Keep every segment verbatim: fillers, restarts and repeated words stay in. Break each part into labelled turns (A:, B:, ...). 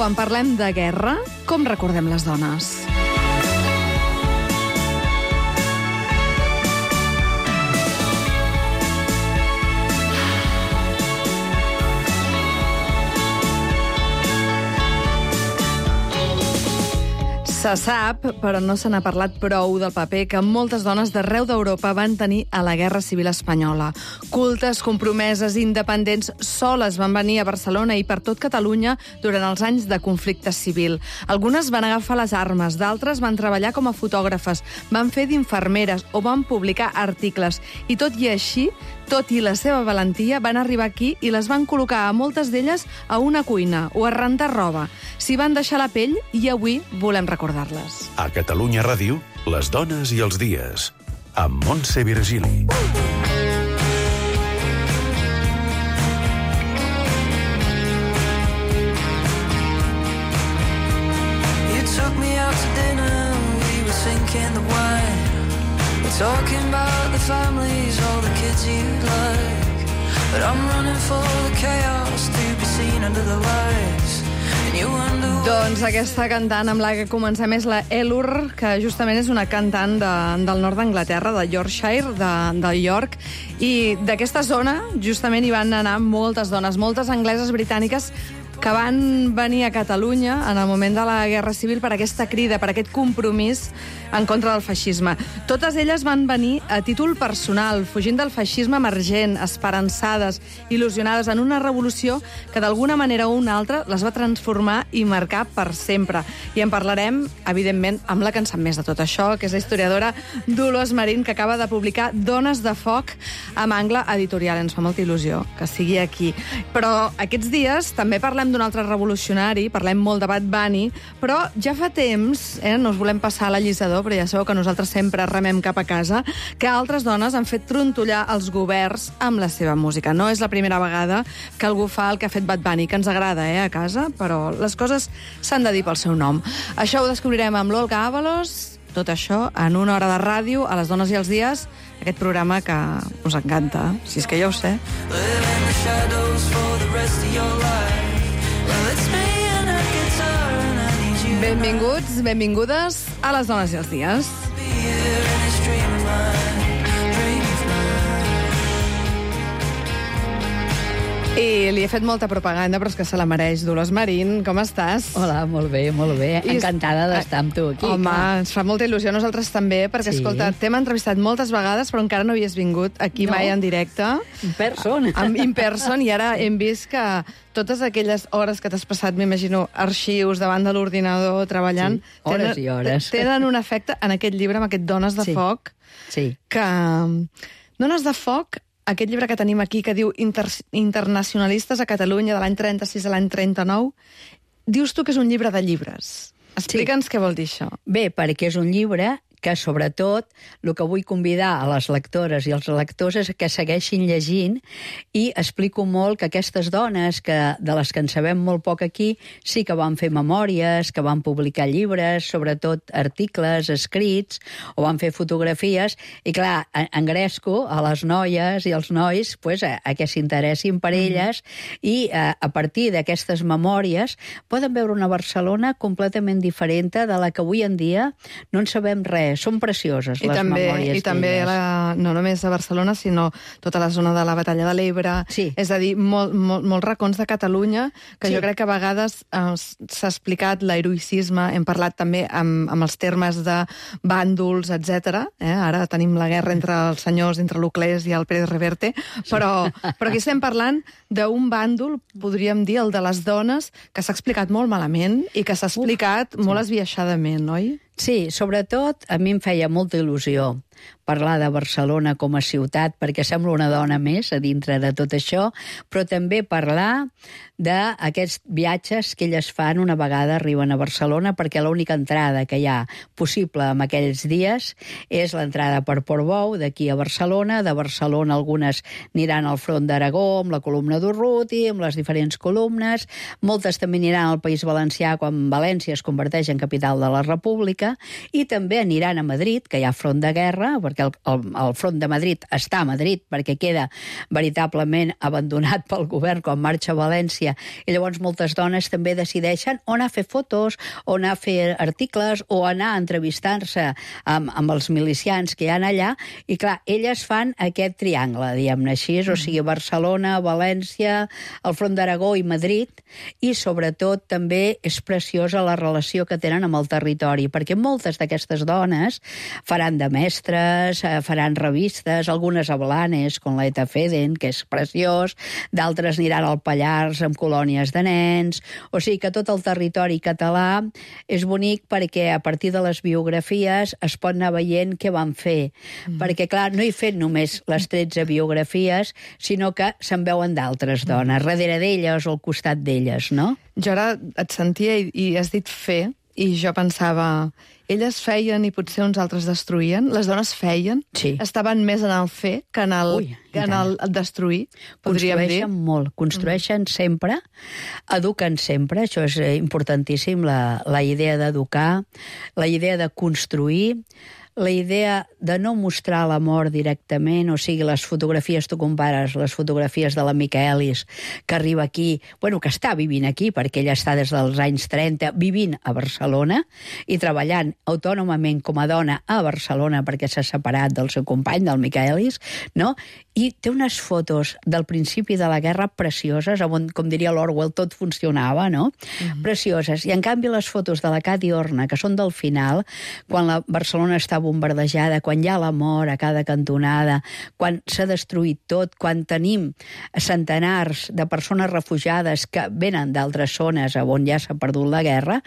A: quan parlem de guerra, com recordem les dones? Se sap, però no se n'ha parlat prou del paper que moltes dones d'arreu d'Europa van tenir a la Guerra Civil Espanyola. Cultes, compromeses, independents, soles van venir a Barcelona i per tot Catalunya durant els anys de conflicte civil. Algunes van agafar les armes, d'altres van treballar com a fotògrafes, van fer d'infermeres o van publicar articles. I tot i així, tot i la seva valentia, van arribar aquí i les van col·locar a moltes d'elles a una cuina o a rentar roba. S'hi van deixar la pell i avui volem recordar-les.
B: A Catalunya Ràdio, les dones i els dies, amb Montse Virgili.
C: You took me out to dinner, we were sinking the wine. Talking about the families, all the kids you'd like. But I'm running for the chaos to be seen under the lights. And you wonder...
A: Doncs aquesta cantant amb la que comencem és la Elur, que justament és una cantant de, del nord d'Anglaterra, de Yorkshire, de, de York, i d'aquesta zona justament hi van anar moltes dones, moltes angleses britàniques que van venir a Catalunya en el moment de la Guerra Civil per aquesta crida, per aquest compromís en contra del feixisme. Totes elles van venir a títol personal, fugint del feixisme emergent, esperançades, il·lusionades en una revolució que d'alguna manera o una altra les va transformar i marcar per sempre. I en parlarem, evidentment, amb la que en sap més de tot això, que és la historiadora Dolors Marín, que acaba de publicar Dones de foc amb Angle Editorial. Ens fa molta il·lusió que sigui aquí. Però aquests dies també parlem d'un altre revolucionari, parlem molt de Bad Bunny, però ja fa temps, eh, no us volem passar a l'allisador, però ja sabeu que nosaltres sempre remem cap a casa, que altres dones han fet trontollar els governs amb la seva música. No és la primera vegada que algú fa el que ha fet Bad Bunny, que ens agrada, eh, a casa, però les coses s'han de dir pel seu nom. Això ho descobrirem amb l'Olga Ábalos, tot això en una hora de ràdio, a les dones i els dies, aquest programa que us encanta, si és que ja ho sé. Benvinguts, benvingudes a les dones i els dies. I li he fet molta propaganda, però és que se la mereix. Dolors Marín, com estàs?
D: Hola, molt bé, molt bé.
A: I
D: encantada d'estar amb tu aquí.
A: Home,
D: clar.
A: ens fa molta il·lusió a nosaltres també, perquè,
D: Sí.
A: escolta, t'hem entrevistat moltes vegades, però encara no havies vingut aquí
D: No.
A: mai en directe.
D: In person.
A: Amb in person, i ara hem vist que totes aquelles hores que t'has passat, m'imagino, arxius davant de l'ordinador, treballant...
D: Sí, hores
A: tenen,
D: i hores.
A: Tenen un efecte en aquest llibre, amb aquest Dones de
D: Sí.
A: foc,
D: Sí.
A: que... Dones de foc, aquest llibre que tenim aquí, que diu Inter Internacionalistes a Catalunya, de l'any trenta-sis a l'any trenta-nou, dius tu que és un llibre de llibres. Explica'ns què vol dir això.
D: Bé, perquè és un llibre que, sobretot, el que vull convidar a les lectores i als lectors és que segueixin llegint, i explico molt que aquestes dones, que de les que en sabem molt poc aquí, sí que van fer memòries, que van publicar llibres, sobretot articles escrits, o van fer fotografies, i clar, engresco a les noies i als nois pues, a, a que s'interessin per elles, mm-hmm. i a, a partir d'aquestes memòries poden veure una Barcelona completament diferent de la que avui en dia no en sabem res. Són precioses,
A: I
D: les
A: també,
D: memòries
A: I també la, no només a Barcelona, sinó tota la zona de la Batalla de l'Ebre.
D: Sí.
A: És a dir, molt, molt, molts racons de Catalunya, que
D: Sí.
A: jo crec que a vegades eh, s'ha explicat l'heroïcisme, hem parlat també amb, amb els termes de bàndols, etcètera. Eh? Ara tenim la guerra entre els senyors, entre l'Uclés i el Pérez Reverte, però, però aquí estem parlant d'un bàndol, podríem dir, el de les dones, que s'ha explicat molt malament i que s'ha explicat Uf, molt sí. esbiaixadament, oi?
D: Sí, sobretot a mi em feia molta il·lusió parlar de Barcelona com a ciutat, perquè sembla una dona més a dintre de tot això, però també parlar d'aquests viatges que elles fan una vegada arriben a Barcelona, perquè l'única entrada que hi ha possible en aquells dies és l'entrada per Portbou, d'aquí a Barcelona. De Barcelona algunes aniran al front d'Aragó, amb la columna d'Urruti, amb les diferents columnes. Moltes també aniran al País Valencià, quan València es converteix en capital de la República. mica, i també aniran a Madrid, que hi ha front de guerra, perquè el, el, el front de Madrid està a Madrid, perquè queda veritablement abandonat pel govern quan marxa a València, i llavors moltes dones també decideixen o anar a fer fotos, o anar a fer articles, o anar a entrevistar-se amb, amb els milicians que hi ha allà, i clar, elles fan aquest triangle, diguem-ne així, o sigui, Barcelona, València, el front d'Aragó i Madrid, i sobretot també és preciosa la relació que tenen amb el territori, perquè moltes d'aquestes dones faran de mestres, faran revistes, algunes a Blanes, com la Eta Feden, que és preciós, d'altres aniran al Pallars amb colònies de nens, o sigui que tot el territori català és bonic perquè a partir de les biografies es pot anar veient què van fer, mm. perquè clar, no he fet només les tretze biografies, sinó que se'n veuen d'altres dones, darrere d'elles o al costat d'elles, no?
A: Jo ara et sentia i, i has dit fer, i jo pensava, elles feien i potser uns altres destruïen, les dones feien,
D: sí. Estaven
A: més en el fer que en el, Ui, que en el, el destruir, podríem dir.
D: Construeixen molt, construeixen mm. sempre, eduquen sempre, això és importantíssim, la, la idea d'educar, la idea de construir, la idea de no mostrar la mort directament, o sigui, les fotografies, tu compares les fotografies de la Michaelis, que arriba aquí, bueno, que està vivint aquí, perquè ella està des dels anys trenta vivint a Barcelona i treballant autònomament com a dona a Barcelona perquè s'ha separat del seu company, del Michaelis, no? I té unes fotos del principi de la guerra precioses, on, com diria l'Orwell, tot funcionava, no? Mm-hmm. Precioses. I en canvi les fotos de la Cati Horna, que són del final, quan la Barcelona està bombardejada, quan hi ha la mort a cada cantonada, quan s'ha destruït tot, quan tenim centenars de persones refugiades que venen d'altres zones on ja s'ha perdut la guerra,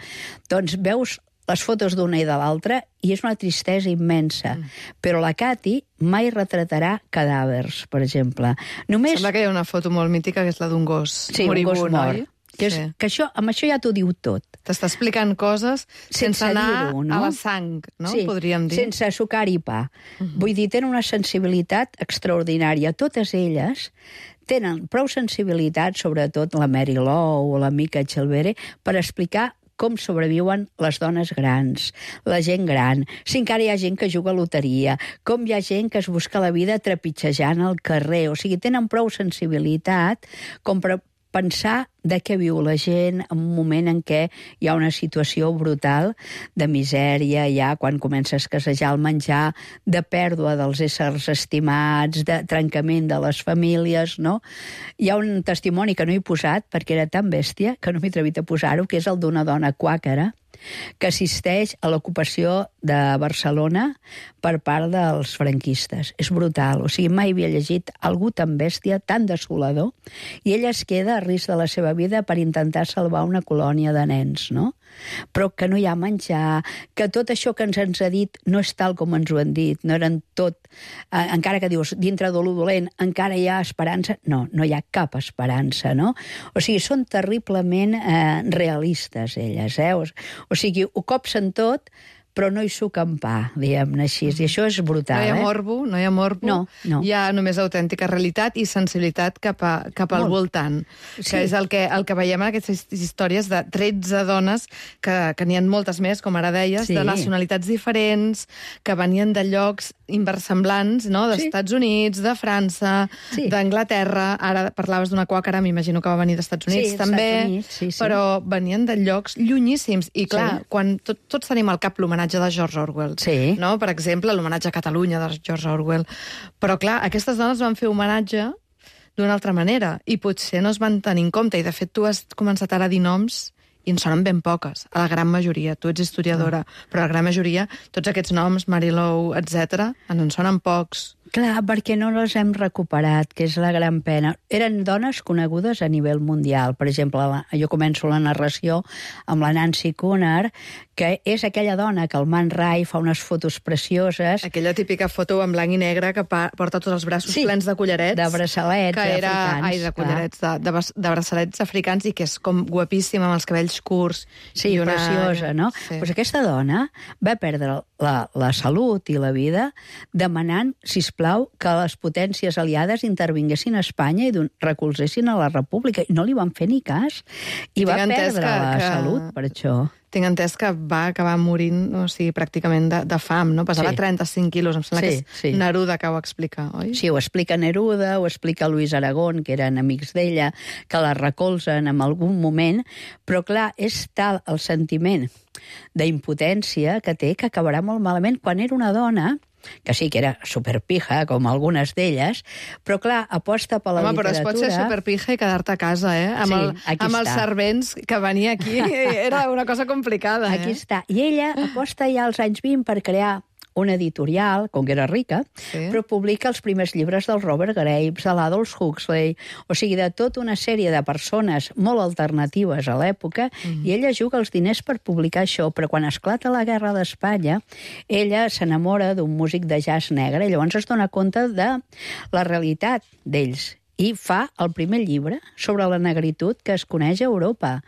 D: doncs veus les fotos d'una i de l'altra i és una tristesa immensa. Mm. Però la Cati mai retratarà cadàvers, per exemple. Només...
A: Sembla que hi ha una foto molt mítica que és la d'un gos
D: sí,
A: moribund,
D: un gos mort. Que, és, sí. que això, amb això ja t'ho diu tot.
A: T'està explicant coses sense, sense anar no? a la sang, no?
D: Sí,
A: podríem dir.
D: Sense sucar i pa. Uh-huh. Vull dir, tenen una sensibilitat extraordinària. Totes elles tenen prou sensibilitat, sobretot la Mary Lowe o la Mica Chelvere, per explicar com sobreviuen les dones grans, la gent gran, si encara hi ha gent que juga a loteria, com hi ha gent que es busca la vida trepitjejant al carrer. O sigui, tenen prou sensibilitat com per pensar de què viu la gent en un moment en què hi ha una situació brutal de misèria, ja quan comença a escassejar el menjar, de pèrdua dels éssers estimats, de trencament de les famílies, no? Hi ha un testimoni que no he posat perquè era tan bèstia que no m'he atrevit a posar-ho, que és el d'una dona quàquera que assisteix a l'ocupació de Barcelona per part dels franquistes. És brutal. O sigui, mai havia llegit algú tan bèstia, tan desolador, i ella es queda a risc de la seva vida per intentar salvar una colònia de nens, no? Però que no hi ha menjar, que tot això que ens, ens ha dit no és tal com ens ho han dit, no eren tot... Eh, encara que dius, dintre de lo dolent, encara hi ha esperança. No, no hi ha cap esperança, no? O sigui, són terriblement eh, realistes, elles, eh? O, o sigui, ho copsen tot, però no hi suquen pa, diguem-ne així. I això és brutal,
A: eh? No hi ha
D: eh?
A: morbo, no hi ha morbo.
D: No, no.
A: Hi ha només autèntica realitat i sensibilitat cap, a, cap al
D: Molt.
A: voltant.
D: Sí.
A: Que és el que, el que veiem en aquestes històries de tretze dones, que, que n'hi ha moltes més, com ara deies,
D: Sí.
A: de nacionalitats diferents, que venien de llocs inversemblants, no?
D: Sí.
A: d'Estats Units, de França,
D: Sí.
A: d'Anglaterra. Ara parlaves d'una quàquera, m'imagino que va venir d'Estats Units
D: Sí,
A: també,
D: Estats Units, sí, sí.
A: però venien de llocs llunyíssims. I clar,
D: Sí.
A: quan tot, tots tenim al cap l'homenatge de George Orwell,
D: Sí.
A: no? Per exemple, l'homenatge a Catalunya de George Orwell. Però, clar, aquestes dones van fer homenatge d'una altra manera i potser no es van tenir en compte. I, de fet, tu has començat ara a dir noms i en sonen ben poques, a la gran majoria. Tu ets historiadora, mm. però a la gran majoria, tots aquests noms, Mary Lowe, etcètera, en sonen pocs.
D: Clar, perquè no les hem recuperat, que és la gran pena. Eren dones conegudes a nivell mundial. Per exemple, la, jo començo la narració amb la Nancy Cunard, que és aquella dona que el Man Ray fa unes fotos precioses.
A: Aquella típica foto en blanc i negre que pa, porta tots els braços
D: Sí,
A: plens de collarets.
D: de braçalets
A: que era,
D: africans,
A: Ai, de collarets, de, de, de braçalets africans, i que és com guapíssima, amb els cabells curts.
D: Sí,
A: i una...
D: preciosa, no?
A: Sí.
D: Pues aquesta dona va perdre la, la salut i la vida demanant, sisplau, que les potències aliades intervinguessin a Espanya i recolzessin a la República. I no li van fer ni cas. I
A: Tinc
D: va
A: entès
D: perdre
A: que-
D: la
A: que-
D: salut per això.
A: tinc entès que va acabar morint, o sigui, pràcticament de, de fam, no? Pesava
D: Sí.
A: trenta-cinc quilos, em sembla
D: Sí,
A: que és
D: sí.
A: Neruda que ho explica, oi?
D: Sí, ho explica Neruda, ho explica Luis Aragón, que eren amics d'ella, que la recolzen en algun moment, però clar, és tal el sentiment d'impotència que té que acabarà molt malament. Quan era una dona, que sí que era superpija, com algunes d'elles, però clar, aposta per la
A: Home, però
D: literatura...
A: es pot ser superpija i quedar-te a casa, eh? Amb,
D: Sí,
A: el,
D: aquí
A: amb els
D: està.
A: servents que venia aquí, era una cosa complicada,
D: Aquí
A: eh?
D: està. I ella aposta ja als anys vint per crear una editorial, com que era rica,
A: Sí.
D: però publica els primers llibres del Robert Graves, de l'Adolf Huxley, o sigui, de tota una sèrie de persones molt alternatives a l'època, mm. i ella juga els diners per publicar això, però quan esclata la Guerra d'Espanya, ella s'enamora d'un músic de jazz negre, i llavors es dona compte de la realitat d'ells, i fa el primer llibre sobre la negritud que es coneix a Europa.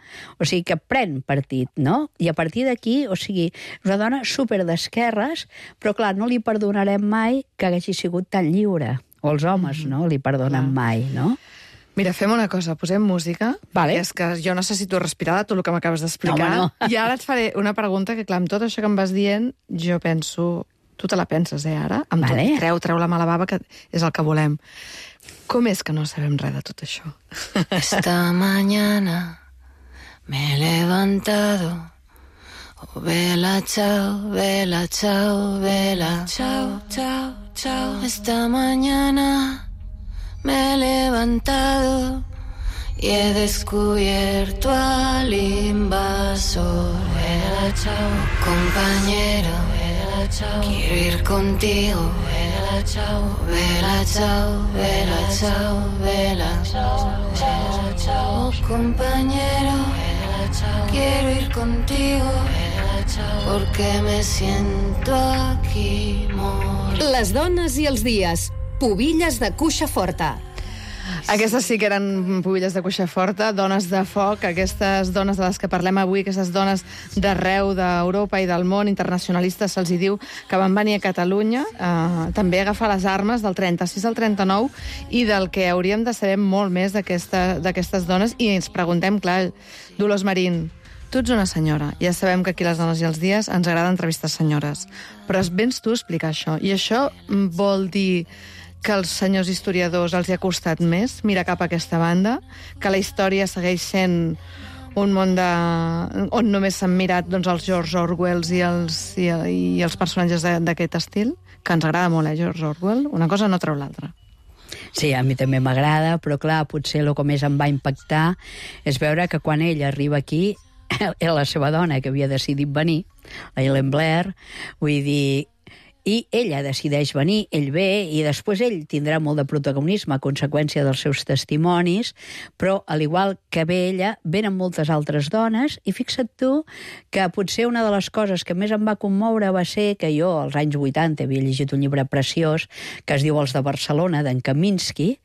D: O sigui, que pren partit, no? I a partir d'aquí, o sigui, és una dona super d'esquerres, però clar, no li perdonarem mai que hagi sigut tan lliure. O els homes, no? Li perdonen mai, no?
A: Mira, fem una cosa, posem música,
D: Vale.
A: perquè és que jo necessito respirar de tot el que m'acabes d'explicar.
D: No, home, no.
A: I ara et faré una pregunta que, clar, amb tot això que em vas dient, jo penso... Tu te la penses, eh, ara? Amb
D: Vale.
A: tot, treu, treu la mala bava, que és el que volem. Com és que no sabem res de tot això?
C: Esta mañana me he levantado. Oh, vela, chao, vela, chao, vela. Chao, chao, chao. Esta mañana me he levantado y he descubierto al invasor. Vela, chao, compañero. Vela, chao, quiero ir contigo. Vela, chao, vela, chao, vela, chao, vela. Vela, chao, compañero. Vela, chao, quiero ir contigo. Vela, chao, porque me siento aquí morir.
E: Les dones i els dies. Pubilles de cuixa forta.
A: Aquestes sí que eren pubilles de cuixa forta, dones de foc, aquestes dones de les que parlem avui, aquestes dones d'arreu d'Europa i del món, internacionalistes, se'ls hi diu, que van venir a Catalunya, eh, també a agafar les armes del trenta-sis al trenta-nou, i del que hauríem de saber molt més d'aquesta- d'aquestes dones, i ens preguntem, clar, Dolors Marín, tu ets una senyora, ja sabem que aquí les dones i els dies ens agrada entrevistar senyores, però vens tu a explicar això, i això vol dir que als senyors historiadors els hi ha costat més mirar cap a aquesta banda, que la història segueix sent un món de... on només s'han mirat doncs, els George Orwells i els, i, i els personatges de- d'aquest estil, que ens agrada molt, eh, George Orwell, una cosa no treu l'altra.
D: Sí, a mi també m'agrada, però clar, potser el que més em va impactar és veure que quan ella arriba aquí, era la seva dona que havia decidit venir, la Helen Blair, vull dir... I ella decideix venir, ell ve, i després ell tindrà molt de protagonisme a conseqüència dels seus testimonis, però, al igual que ve ella, venen moltes altres dones, i fixa't tu que potser una de les coses que més em va commoure va ser que jo, als anys vuitanta, havia llegit un llibre preciós que es diu Els de Barcelona, d'en Kaminsky,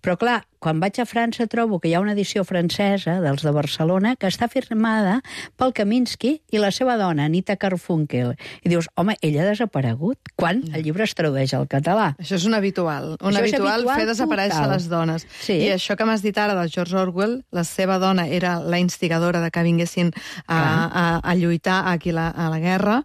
D: però, clar, quan vaig a França trobo que hi ha una edició francesa dels de Barcelona que està firmada pel Kaminsky i la seva dona, Anita Carfunkel. I dius, home, ella ha desaparegut quan el llibre es tradueix al català.
A: Això és un habitual, un
D: Això és
A: habitual,
D: habitual
A: fer desaparèixer
D: total.
A: les dones.
D: Sí.
A: I això que m'has dit ara del George Orwell, la seva dona era la instigadora de que vinguessin a, a, a lluitar aquí la, a la guerra,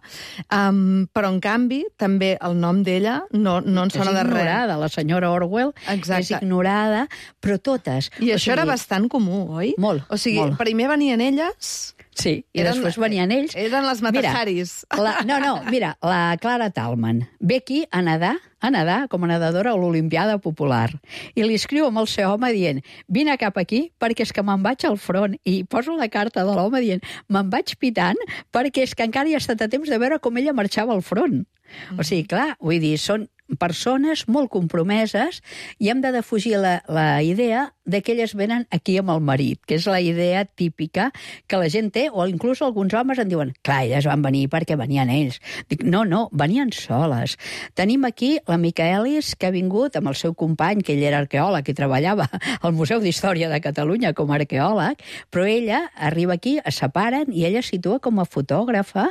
A: um, però en canvi també el nom d'ella no, no en sona de
D: és
A: res.
D: ignorada, la senyora Orwell
A: Exacte.
D: és ignorada, però totes.
A: I
D: O
A: això
D: sigui,
A: era bastant comú, oi?
D: Molt,
A: O sigui,
D: molt.
A: primer venien elles...
D: Sí, i
A: Eren-
D: després venien ells.
A: eren les Mataharis.
D: Mira, la, no, no, mira, la Clara Talman ve aquí a nedar, a nedar com a nedadora a l'Olimpiada Popular. I li escriu amb el seu home dient, vine cap aquí perquè és que me'n vaig al front. I poso la carta de l'home dient, me'n vaig pitant perquè és que encara hi ha estat a temps de veure com ella marxava al front. Mm. O sigui, clar, vull dir, són persones molt compromeses i hem de defugir la, la idea de que elles venen aquí amb el marit, que és la idea típica que la gent té, o inclús alguns homes en diuen, clar, elles van venir perquè venien ells. Dic, no, no, venien soles. Tenim aquí la Micaelis, que ha vingut amb el seu company, que ell era arqueòleg i treballava al Museu d'Història de Catalunya com a arqueòleg, però ella arriba aquí, es separen, i ella es situa com a fotògrafa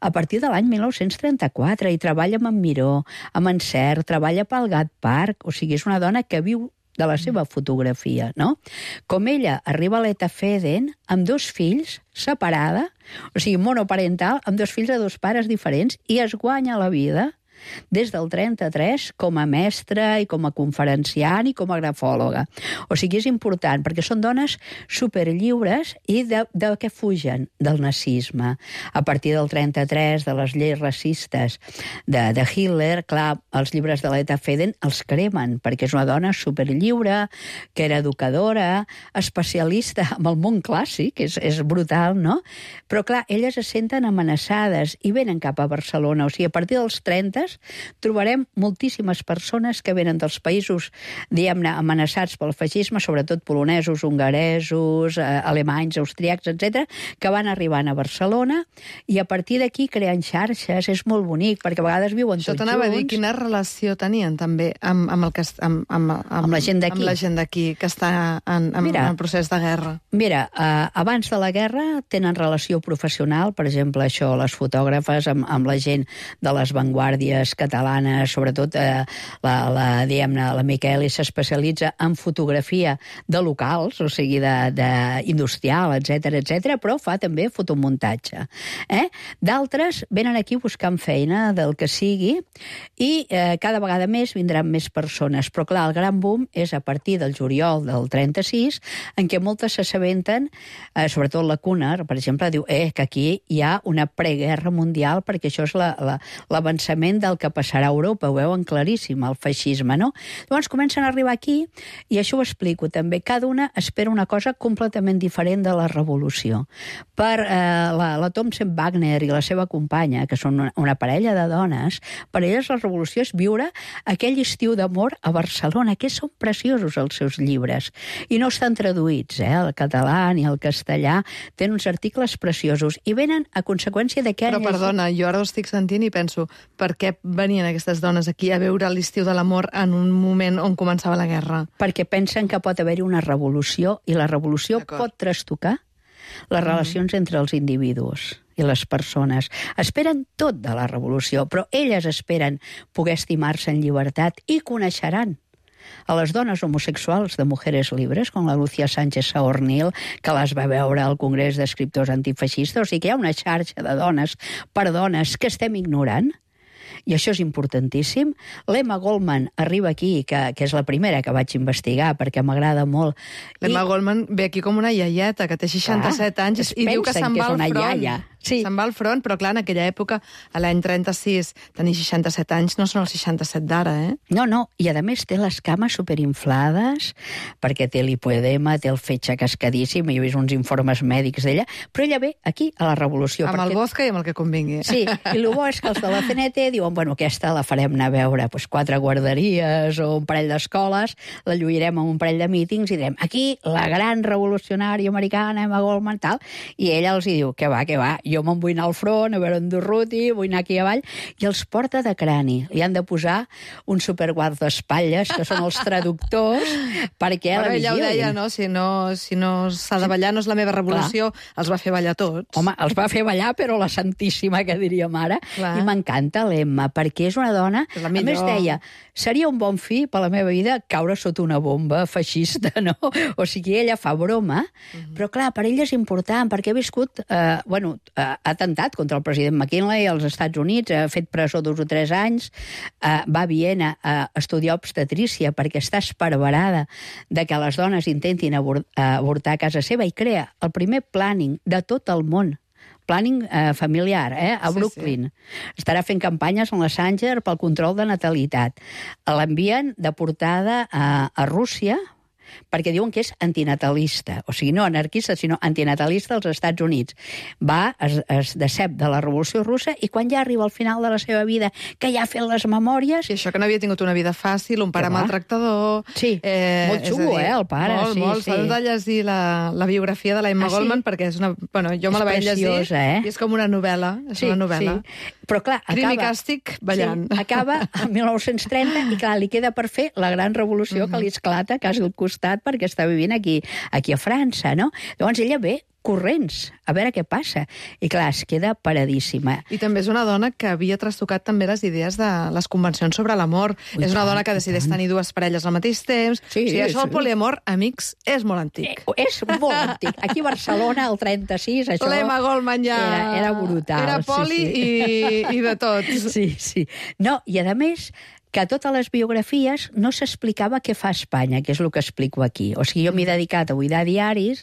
D: a partir de l'any mil nou-cents trenta-quatre i treballa amb en Miró, amb en Cert, treballa pel Gat Park, o sigui, és una dona que viu de la seva fotografia, no? Com ella arriba a l'Eta Feden amb dos fills, separada, o sigui, monoparental, amb dos fills de dos pares diferents, i es guanya la vida des del trenta-tres com a mestra i com a conferenciant i com a grafòloga. O sigui, és important, perquè són dones superllliures i de, de què fugen? Del nazisme. A partir del trenta-tres, de les lleis racistes de, de Hitler, clar, els llibres de l'Eta Feden els cremen, perquè és una dona superllliure, que era educadora, especialista en el món clàssic, és, és brutal, no? Però, clar, elles es senten amenaçades i venen cap a Barcelona. O sigui, a partir dels trenta trobarem moltíssimes persones que venen dels països, diguem-ne, amenaçats pel feixisme, sobretot polonesos, hongaresos, eh, alemanys, austríacs, etcètera, que van arribant a Barcelona i a partir d'aquí creen xarxes. És molt bonic, perquè a vegades viuen
A: Això
D: tots
A: t'anava
D: junts.
A: a dir, quina relació tenien també amb, amb, el que, amb, amb, amb,
D: Amb la gent d'aquí.
A: Amb la gent d'aquí, que està en, en,
D: Mira,
A: en procés de guerra.
D: Mira, eh, abans de la guerra tenen relació professional, per exemple, això, les fotògrafes amb, amb la gent de les vanguardies catalanes, sobretot eh, la, la, diguem-ne, la Miqueli s'especialitza en fotografia de locals, o sigui, de, de industrial, etcètera, etcètera, però fa també fotomuntatge. Eh? D'altres venen aquí buscant feina del que sigui i eh, cada vegada més vindran més persones. Però clar, el gran boom és a partir del juliol del trenta-sis, en què moltes s'assabenten, eh, sobretot la Cunard, per exemple, diu eh, que aquí hi ha una preguerra mundial perquè això és la, la, l'avançament del que passarà a Europa, ho veuen claríssim, el feixisme, no? Llavors comencen a arribar aquí, i això ho explico també, cada una espera una cosa completament diferent de la revolució. Per eh, la, la Thompson Wagner i la seva companya, que són una, una parella de dones, per elles la revolució és viure aquell estiu d'amor a Barcelona, que són preciosos els seus llibres, i no estan traduïts, eh, el català ni el castellà, tenen uns articles preciosos, i venen a conseqüència de què...
A: Però perdona, jo ara ho estic sentint i penso, per què venien aquestes dones aquí a veure l'estiu de l'amor en un moment on començava la guerra?
D: Perquè pensen que pot haver-hi una revolució, i la revolució pot trastocar les relacions mm. entre els individus i les persones. Esperen tot de la revolució, però elles esperen poder estimar-se en llibertat i coneixeran a les dones homosexuals de Mujeres Libres, com la Lucía Sánchez Saornil, que les va veure al Congrés d'Escriptors Antifeixistes. O sigui que hi ha una xarxa de dones per dones que estem ignorant, i això és importantíssim. L'Emma Goldman arriba aquí, que, que és la primera que vaig investigar, perquè m'agrada molt.
A: L'Emma
D: I...
A: Goldman ve aquí com una iaieta, que té seixanta-set
D: Clar,
A: anys, i diu que se'n va al front.
D: Iaia. Sí.
A: Se'n va al front, però clar, en aquella època, a l'any trenta-sis, tenir seixanta-set anys no són els seixanta-set d'ara, eh?
D: No, no, i a més té les cames superinflades, perquè té l'hipoedema, té el fetge cascadíssim, i he vist uns informes mèdics d'ella, però ella ve aquí, a la revolució.
A: Amb
D: perquè...
A: el vodka i amb el que convingui.
D: Sí, i el bo és que els de la C N T diuen, bueno, aquesta la farem anar a veure pues, quatre guarderies o un parell d'escoles, la lluirem amb un parell de mítings i direm, aquí, la gran revolucionària americana, Emma Goldman, tal, i ella els hi diu, que va, que va, jo me'n vull anar al front, a veure en Durruti, vull anar aquí avall, i els porta de crani. Li han de posar un superguardaespatlles, que són els traductors, perquè
A: Però
D: la
A: ella ho deia, no? Si no si no s'ha de ballar, no és la meva revolució, clar. Els va fer ballar tots.
D: Home, els va fer ballar, però la santíssima, que diríem ara, clar. I m'encanta l'Emma, perquè és una dona...
A: És la
D: a més deia, seria un bon fi per la meva vida caure sota una bomba feixista, no? O sigui, ella fa broma, uh-huh. però clar, per ella és important, perquè ha viscut, eh, bueno, eh, ha atentat contra el president McKinley als Estats Units, ha fet presó dos o tres anys, eh, va a Viena a estudiar obstetrícia perquè està esparverada de que les dones intentin avortar a casa seva, i crea el primer planning de tot el món, planning eh, familiar, eh, a Brooklyn. Sí, sí. Estarà fent campanyes en la Sanger pel control de natalitat. L'envien deportada a, a Rússia, perquè diuen que és antinatalista, o sigui, no anarquista, sinó antinatalista als Estats Units. Va, es, es decep de la Revolució Russa, i quan ja arriba al final de la seva vida, que ja ha fet les memòries...
A: I això que no havia tingut una vida fàcil, un pare maltractador...
D: Sí, eh, molt xulo, dir, eh, el pare.
A: Molt,
D: sí,
A: molt.
D: Sí.
A: S'ha de llegir la, la biografia de la Emma ah, Goldman, sí? Perquè és una... Bueno, jo és me la vaig llegir, eh? I és com una novel·la. És
D: sí,
A: una novel·la.
D: Sí. Però clar, acaba...
A: Crim i càstig, ballant.
D: Sí, acaba en mil nou-cents trenta, i clar, li queda per fer la gran revolució uh-huh. que li esclata quasi al costat, perquè està vivint aquí, aquí a França, no? Llavors ella ve corrents, a veure què passa. I clar, es queda paradíssima.
A: I també és una dona que havia trastocat també les idees de les convencions sobre l'amor. És una dona que decideix tenir dues parelles al mateix temps.
D: Sí,
A: o sigui, això
D: sí.
A: del poliamor, amics, és molt antic.
D: Eh, és molt antic. Aquí a Barcelona, el trenta-sis, això...
A: L'Emma Goldman ja...
D: Era, era brutal.
A: Era poli
D: sí, sí.
A: I, i de tot.
D: Sí, sí. No, i a més, que a totes les biografies no s'explicava què fa Espanya, que és el que explico aquí. O sigui, jo m'he dedicat a buidar diaris,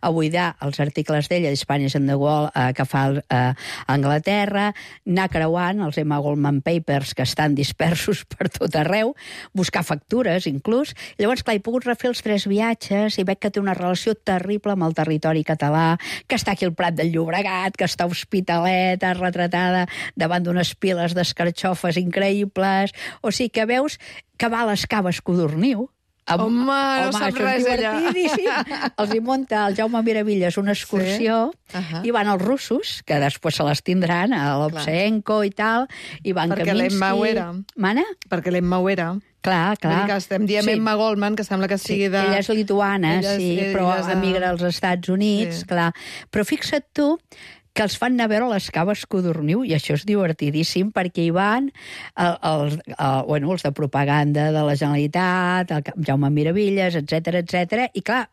D: a buidar els articles d'ella, d'Spanish and the Wall, eh, que fa eh, a Anglaterra, anar creuant els Emma Goldman Papers, que estan dispersos per tot arreu, buscar factures, inclús. I llavors, clar, he pogut refer els tres viatges i veig que té una relació terrible amb el territori català, que està aquí al Prat del Llobregat, que està a Hospitalet, retratada davant d'unes piles d'escarxofes increïbles. O sigui que veus que va a les caves Codorniu. Amb...
A: Home, no
D: Home,
A: sap res, ella.
D: Els hi munta el Jaume Miravilles una excursió
A: Sí. Uh-huh.
D: i van els russos, que després se les tindran, a l'Obsenko i tal, i van
A: Perquè
D: Kaminsky...
A: l'Emma ho era.
D: Mana?
A: Perquè l'Emma ho era.
D: Clar, clar.
A: Vull dir que estem dient
D: Sí.
A: Emma Goldman, que sembla que sigui de...
D: Ella és lituana,
A: Ella és-
D: sí,
A: ella
D: però
A: és de-
D: emigra als Estats Units,
A: Sí.
D: clar. Però fixa't tu que els fan anar a veure les caves Codorniu, i això és divertidíssim, perquè hi van el, els, el, bueno, els de propaganda de la Generalitat, el Jaume Miravilles, etcètera, etcètera, i clar,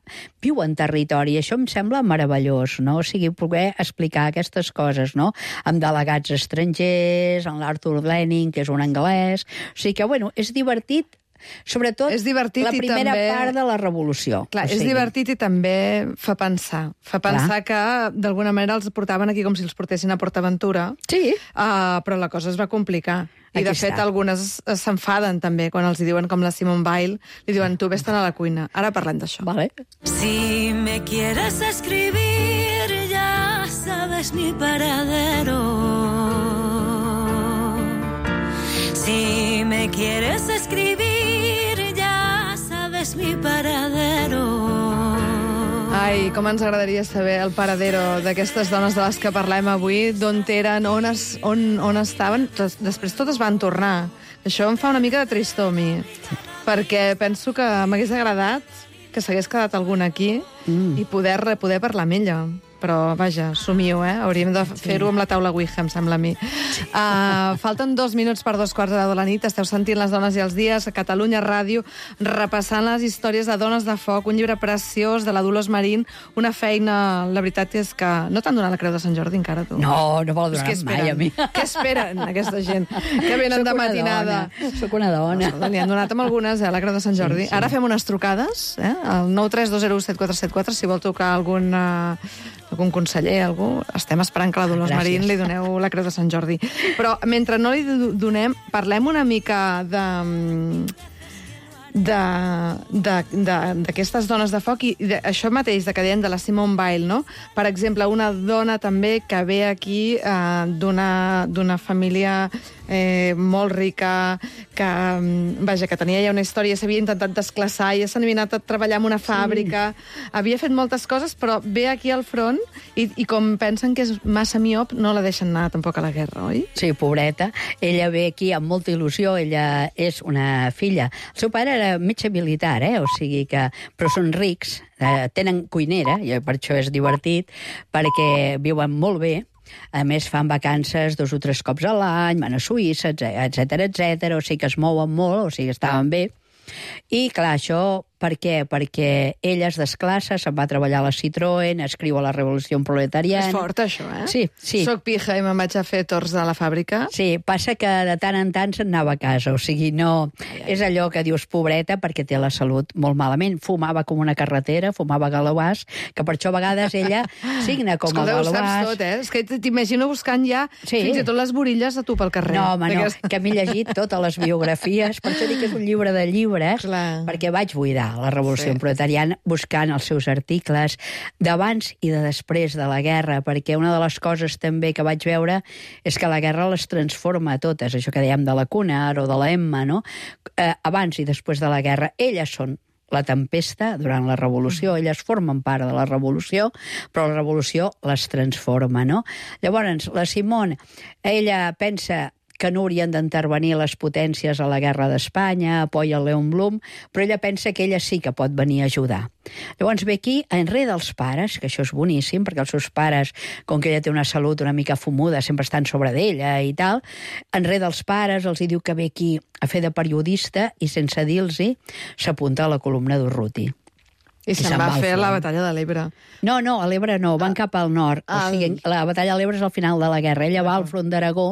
D: viuen territori, i això em sembla meravellós, no? O sigui, poder explicar aquestes coses, no? Amb delegats estrangers, amb l'Arthur Lenning, que és un anglès, o sigui que, bueno, és divertit, sobretot
A: És divertit
D: la
A: i
D: primera
A: també-
D: part de la revolució.
A: Clar,
D: O
A: és
D: sigui,
A: divertit i també fa pensar. Fa pensar que, d'alguna manera, els portaven aquí com si els portessin a PortAventura,
D: Sí.
A: uh, però la cosa es va complicar. I,
D: Aquí
A: de fet,
D: està.
A: algunes s'enfaden també quan els hi diuen, com la Simone Weil, li diuen, tu vés-te'n a la cuina. Ara parlem d'això.
D: Vale.
C: Si me quieres escribir, ya sabes mi paradero. Si me quieres escribir, ya sabes mi paradero.
A: Ai, com ens agradaria saber el paradero d'aquestes dones de les que parlem avui, d'on eren, on, es, on, on estaven. Des- Després totes van tornar. Això em fa una mica de tristor a mi, perquè penso que m'hagués agradat que s'hagués quedat alguna aquí mm. i poder, poder parlar amb ella. Però, vaja, somio, eh? Hauríem de fer-ho amb la taula Ouija, em sembla a mi. Uh, falten dos minuts per dos quarts de deu de la nit. Esteu sentint Les dones i els dies a Catalunya Ràdio, repassant les històries de Dones de Foc, un llibre preciós de la Dolors Marín, una feina, la veritat és que... No t'han donat la Creu de Sant Jordi encara, tu?
D: No, no me la
A: Pues què
D: donaran mai a
A: esperen?
D: mi.
A: Què esperen, aquesta gent que venen
D: Soc
A: de
D: una
A: matinada?
D: dona, Soc una dona.
A: Escolta, n'hi han donat amb algunes, eh, a la Creu de Sant Jordi. Sí, sí. Ara fem unes trucades, eh, al nou tres dos zero set quatre set quatre, si vol tocar algun, uh, algun conseller, algú. Estem esperant que la Dolors
D: Gràcies.
A: Marín li doneu la Creu de Sant Jordi. Però mentre no li do- donem, parlem una mica de... de- de- de- d'aquestes dones de foc i de, això mateix, de que dèiem de la Simone Weil, no? Per exemple, una dona també que ve aquí eh, d'una d'una família eh, molt rica, que, mm, vaja, que tenia ja una història, s'havia intentat desclassar, ja s'havia anat a treballar en una fàbrica, sí. havia fet moltes coses, però ve aquí al front i, i com pensen que és massa miop, no la deixen anar tampoc a la guerra, oi?
D: Sí, pobreta. Ella ve aquí amb molta il·lusió, ella és una filla. El seu pare era metge militar, eh? O sigui que... Però són rics, eh, tenen cuinera, i per això és divertit, perquè viuen molt bé. A més, fan vacances dos o tres cops a l'any, van a Suïssa, etcètera, etcètera, o sigui que es mouen molt, o sigui que estaven bé. I, clar, això per què? Perquè ella es desclassa, se'n va a treballar a la Citroën, escriu a la Revolució Proletariana...
A: És fort, això, eh?
D: Sí, sí.
A: Soc pija i me'n vaig a fer torns a la fàbrica.
D: Sí, passa que de tant en tant se'n anava a casa, o sigui, no... Ai, ai. És allò que dius pobreta perquè té la salut molt malament. Fumava com una carretera, fumava galauàs, que per això a vegades ella signa com
A: Escolta,
D: a
A: ho saps
D: galauàs.
A: tot, eh? És que t'imagino buscant ja
D: Sí.
A: fins i tot les borilles de tu pel carrer.
D: No, home, no,
A: D'aquest-
D: que m'he llegit totes les biografies, per això dic que és un llibre de llibres,
A: Clar.
D: perquè vaig buidar la Revolució
A: Sí.
D: Proletariana buscant els seus articles d'abans i de després de la guerra, perquè una de les coses també que vaig veure és que la guerra les transforma a totes, això que dèiem de la Cunard o de la Emma, no? Eh, abans i després de la guerra, elles són la tempesta durant la revolució, elles formen part de la revolució, però la revolució les transforma, no? Llavors, la Simone, ella pensa que no haurien d'intervenir les potències a la guerra d'Espanya, apoya el Leon Blum, però ella pensa que ella sí que pot venir a ajudar. Llavors ve aquí, enrere dels pares, que això és boníssim, perquè els seus pares, com que ella té una salut una mica fumuda, sempre estan sobre d'ella i tal, enrere dels pares els hi diu que ve aquí a fer de periodista i sense dir-los-hi s'apunta a la columna d'Urruti.
A: I, I se'n va a fer la batalla de l'Ebre.
D: No, no, a l'Ebre no, van cap al nord.
A: Ah,
D: o sigui, la batalla de l'Ebre és al final de la guerra. Ella va al front d'Aragó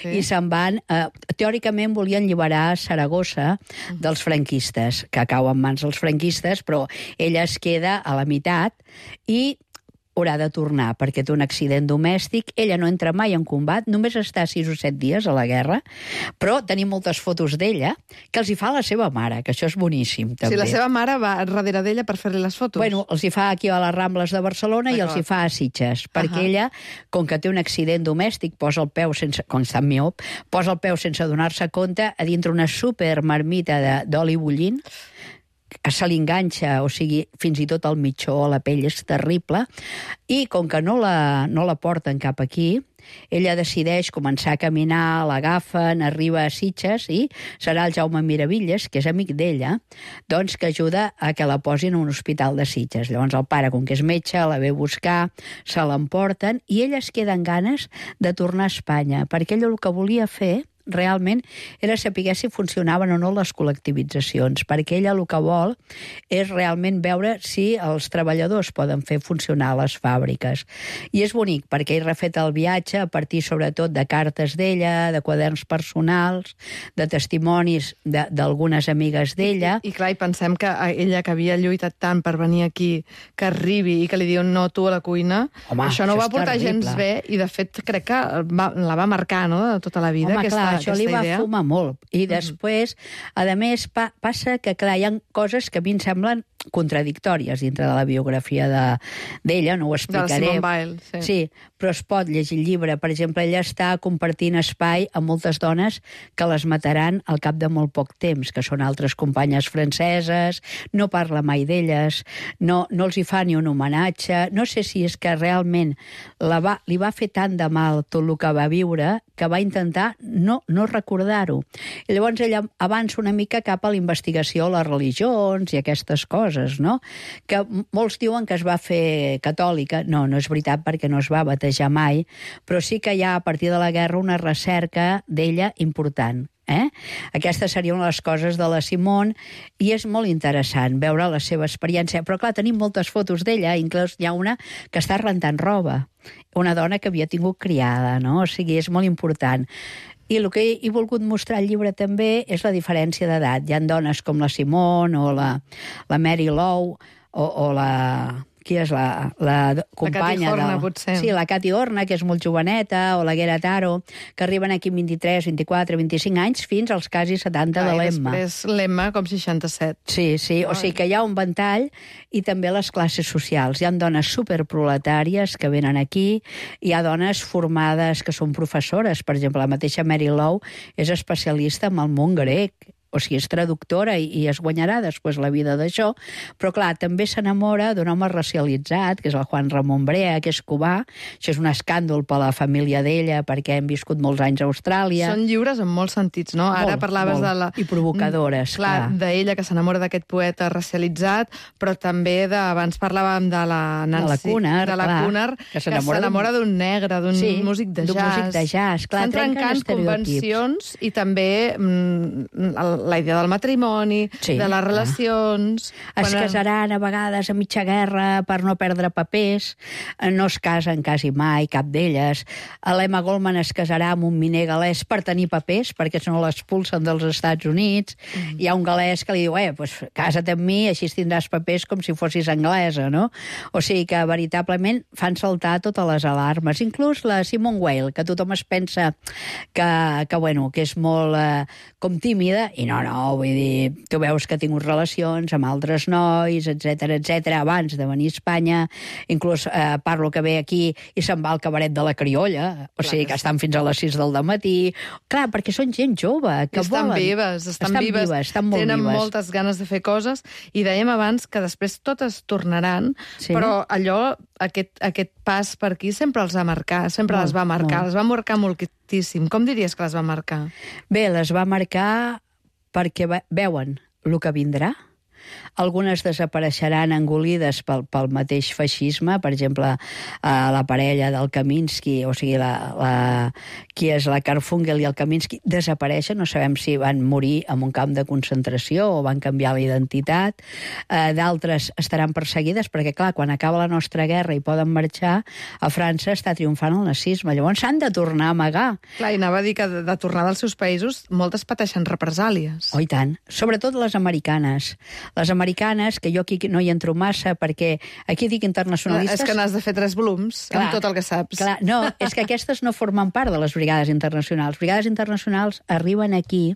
A: sí.
D: i se'n van... Eh, teòricament volien alliberar Saragossa dels franquistes, que cau en mans dels franquistes, però ella es queda a la meitat i haurà de tornar perquè té un accident domèstic. Ella no entra mai en combat, només està sis o set dies a la guerra, però tenim moltes fotos d'ella que els hi fa la seva mare, que això és boníssim, també.
A: Sí, la seva mare va darrere d'ella per fer-li les fotos.
D: Bueno, els hi fa aquí a les Rambles de Barcelona i els hi fa a Sitges, perquè ella, com que té un accident domèstic, posa el peu sense... com està miop, posa el peu sense donar-se compte a dintre una supermarmita d'oli bullint, se li enganxa, o sigui, fins i tot el mitjó, la pell és terrible, i com que no la, no la porten cap aquí, ella decideix començar a caminar, l'agafen, arriba a Sitges i serà el Jaume Miravilles, que és amic d'ella, doncs que ajuda a que la posin a un hospital de Sitges. Llavors el pare, com que és metge, la ve a buscar, se l'emporten i ella es queda amb ganes de tornar a Espanya, perquè ella el que volia fer realment era saber si funcionaven o no les col·lectivitzacions, perquè ella el que vol és realment veure si els treballadors poden fer funcionar les fàbriques. I és bonic, perquè ell refet el viatge a partir sobretot de cartes d'ella, de quaderns personals, de testimonis d'algunes amigues d'ella.
A: I, I clar, i pensem que ella, que havia lluitat tant per venir aquí, que arribi i que li diuen no tu a la cuina,
D: home,
A: això no
D: això
A: va portar gens bé, i de fet crec que va, la va marcar, no?, de tota la vida.
D: Home,
A: aquesta,
D: clar, això li va
A: idea.
D: fumar molt. I després, a més, pa passa que, clar, hi ha coses que a mi em semblen contradictòries dintre de la biografia d'ella, no ho explicaré.
A: De la Simone Weil, sí.
D: Sí, però es pot llegir el llibre. Per exemple, ella està compartint espai amb moltes dones que les mataran al cap de molt poc temps, que són altres companyes franceses, no parla mai d'elles, no, no els hi fa ni un homenatge. No sé si és que realment la va, li va fer tant de mal tot el que va viure que va intentar no, no recordar-ho. I llavors ella avança una mica cap a la investigació a les religions i aquestes coses, no? Que molts diuen que es va fer catòlica. No, no és veritat, perquè no es va batejar mai, però sí que hi ha a partir de la guerra una recerca d'ella important. Eh? Aquesta seria una de les coses de la Simone i és molt interessant veure la seva experiència. Però clar, tenim moltes fotos d'ella, inclús hi ha una que està rentant roba, una dona que havia tingut criada, no? O sigui, és molt important. I el que he volgut mostrar al llibre també és la diferència d'edat. Hi ha dones com la Simone o la, la Mary Lowe o, o la... Qui és la, la companya?
A: La Cati Horna,
D: del...
A: potser.
D: Sí, la Cati Horna, que és molt joveneta, o la Guera Taro, que arriben aquí amb vint-i-tres, vint-i-quatre, vint-i-cinc anys, fins als quasi setanta de l'Emma.
A: I després l'Emma com seixanta-set.
D: Sí, sí, o sigui que hi ha un ventall i també les classes socials. Hi ha dones superproletàries que venen aquí, hi ha dones formades que són professores. Per exemple, la mateixa Mary Lowe és especialista en el món grec, o sigui, és traductora i, i es guanyarà després la vida d'això, però clar, també s'enamora d'un home racialitzat, que és el Juan Ramón Brea, que és cubà. Això és un escàndol per la família d'ella, perquè hem viscut molts anys a Austràlia.
A: Són lliures en molts sentits, no?
D: Molt,
A: Ara parlaves
D: molt.
A: de la...
D: I provocadores,
A: clar. Clar, d'ella, que s'enamora d'aquest poeta racialitzat, però també de... Abans parlàvem de la Nancy...
D: De la Cunard,
A: de la
D: clar,
A: Cunard,
D: que s'enamora
A: d'un negre, d'un
D: sí,
A: músic de jazz.
D: D'un músic de jazz, clar,
A: estan trencant convencions i també mm, la idea del matrimoni, sí, de les relacions...
D: Es quan... casaran a vegades a mitja guerra per no perdre papers, no es casen quasi mai, cap d'elles. L'Emma Goldman es casarà amb un miner galès per tenir papers, perquè si no l'expulsen dels Estats Units. Mm. Hi ha un galès que li diu, eh, pues, casa't amb mi, així tindràs papers com si fossis anglesa, no? O sigui que veritablement fan saltar totes les alarmes. Inclús la Simone Weil, que tothom es pensa que, que, bueno, que és molt eh, com tímida, i no, no, vull dir, tu veus que ha tingut relacions amb altres nois, etcètera, etcètera, abans de venir a Espanya, inclús eh, parlo que ve aquí i se'n va al cabaret de la Criolla, o sigui que estan fins a les sis del dematí. Clar, perquè són gent jove, que
A: estan
D: volen...
A: vives, estan,
D: estan
A: vives,
D: vives, estan molt
A: tenen
D: vives.
A: moltes ganes de fer coses, i dèiem abans que després totes tornaran,
D: Sí.
A: però allò, aquest, aquest pas per aquí sempre els va marcar, sempre
D: Molt,
A: les va marcar,
D: molt.
A: les va marcar moltíssim. Com diries que les va marcar?
D: Bé, les va marcar perquè ve- veuen el que vindrà. Algunes desapareixeran engolides pel, pel mateix feixisme, per exemple, eh, la parella del Kaminski, o sigui, la, la, qui és la Karfungel i el Kaminski, desapareixen, no sabem si van morir en un camp de concentració o van canviar la identitat. Eh, D'altres estaran perseguides perquè, clar, quan acaba la nostra guerra i poden marxar, a França està triomfant el nazisme. Llavors s'han de tornar a amagar.
A: Clar, i anava a dir que de, de tornar dels seus països moltes pateixen represàlies.
D: Oh, i tant. Sobretot les americanes. Les americanes, que jo aquí no hi entro massa, perquè aquí dic internacionalistes...
A: És que n'has de fer tres volums, clar, amb tot el que saps.
D: Clar, no, és que aquestes no formen part de les brigades internacionals. Brigades internacionals arriben aquí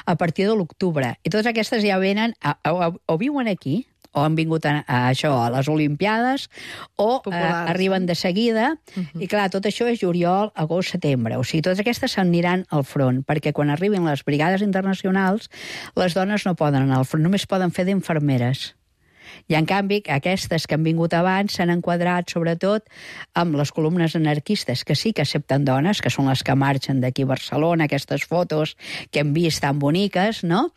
D: a partir de l'octubre, i totes aquestes ja venen, a, a, o viuen aquí, o han vingut a, a això, a les Olimpiades, o
A: Populars,
D: eh, arriben de seguida, uh-huh. i clar, tot això és juliol, agost, setembre. O sigui, totes aquestes s'aniran al front, perquè quan arribin les brigades internacionals, les dones no poden anar al front, només poden fer d'infermeres. I, en canvi, aquestes que han vingut abans s'han enquadrat, sobretot, amb les columnes anarquistes, que sí que accepten dones, que són les que marxen d'aquí a Barcelona, aquestes fotos que hem vist tan boniques, no?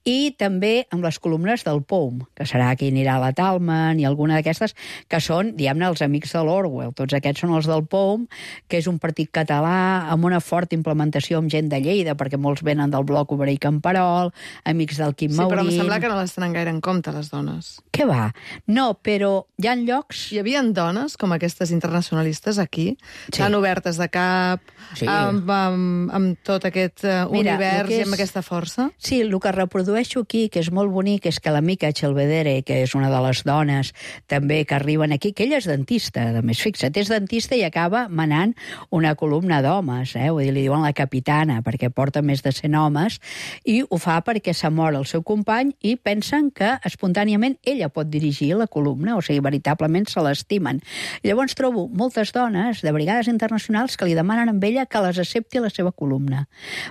D: I també amb les columnes del P O U M, que serà qui anirà a la Talman, i alguna d'aquestes, que són, diguem-ne, els amics de l'Orwell. Tots aquests són els del P O U M, que és un partit català amb una forta implementació amb gent de Lleida, perquè molts venen del bloc obrer i Camperol, amics del Quim
A: Sí,
D: Maurín...
A: però em sembla que no les tenen gaire en compte, les dones.
D: Què va? No, però hi ha llocs...
A: Hi havia dones com aquestes internacionalistes aquí,
D: Sí.
A: tan obertes de cap,
D: Sí.
A: amb, amb, amb tot aquest uh,
D: Mira,
A: univers
D: el que
A: i amb
D: és-
A: aquesta força?
D: Sí, el que reprodueixo aquí, que és molt bonic, és que l'amica Chelvedere, que és una de les dones també que arriben aquí, que ella és dentista, a més, fixa't, és dentista i acaba manant una columna d'homes, eh? Vull dir, li diuen la capitana, perquè porta més de cent homes, i ho fa perquè s'ha mort el seu company i pensen que espontàniament ella pot dirigir la columna, o sigui, veritablement se l'estimen. Llavors trobo moltes dones de brigades internacionals que li demanen amb ella que les accepti a la seva columna,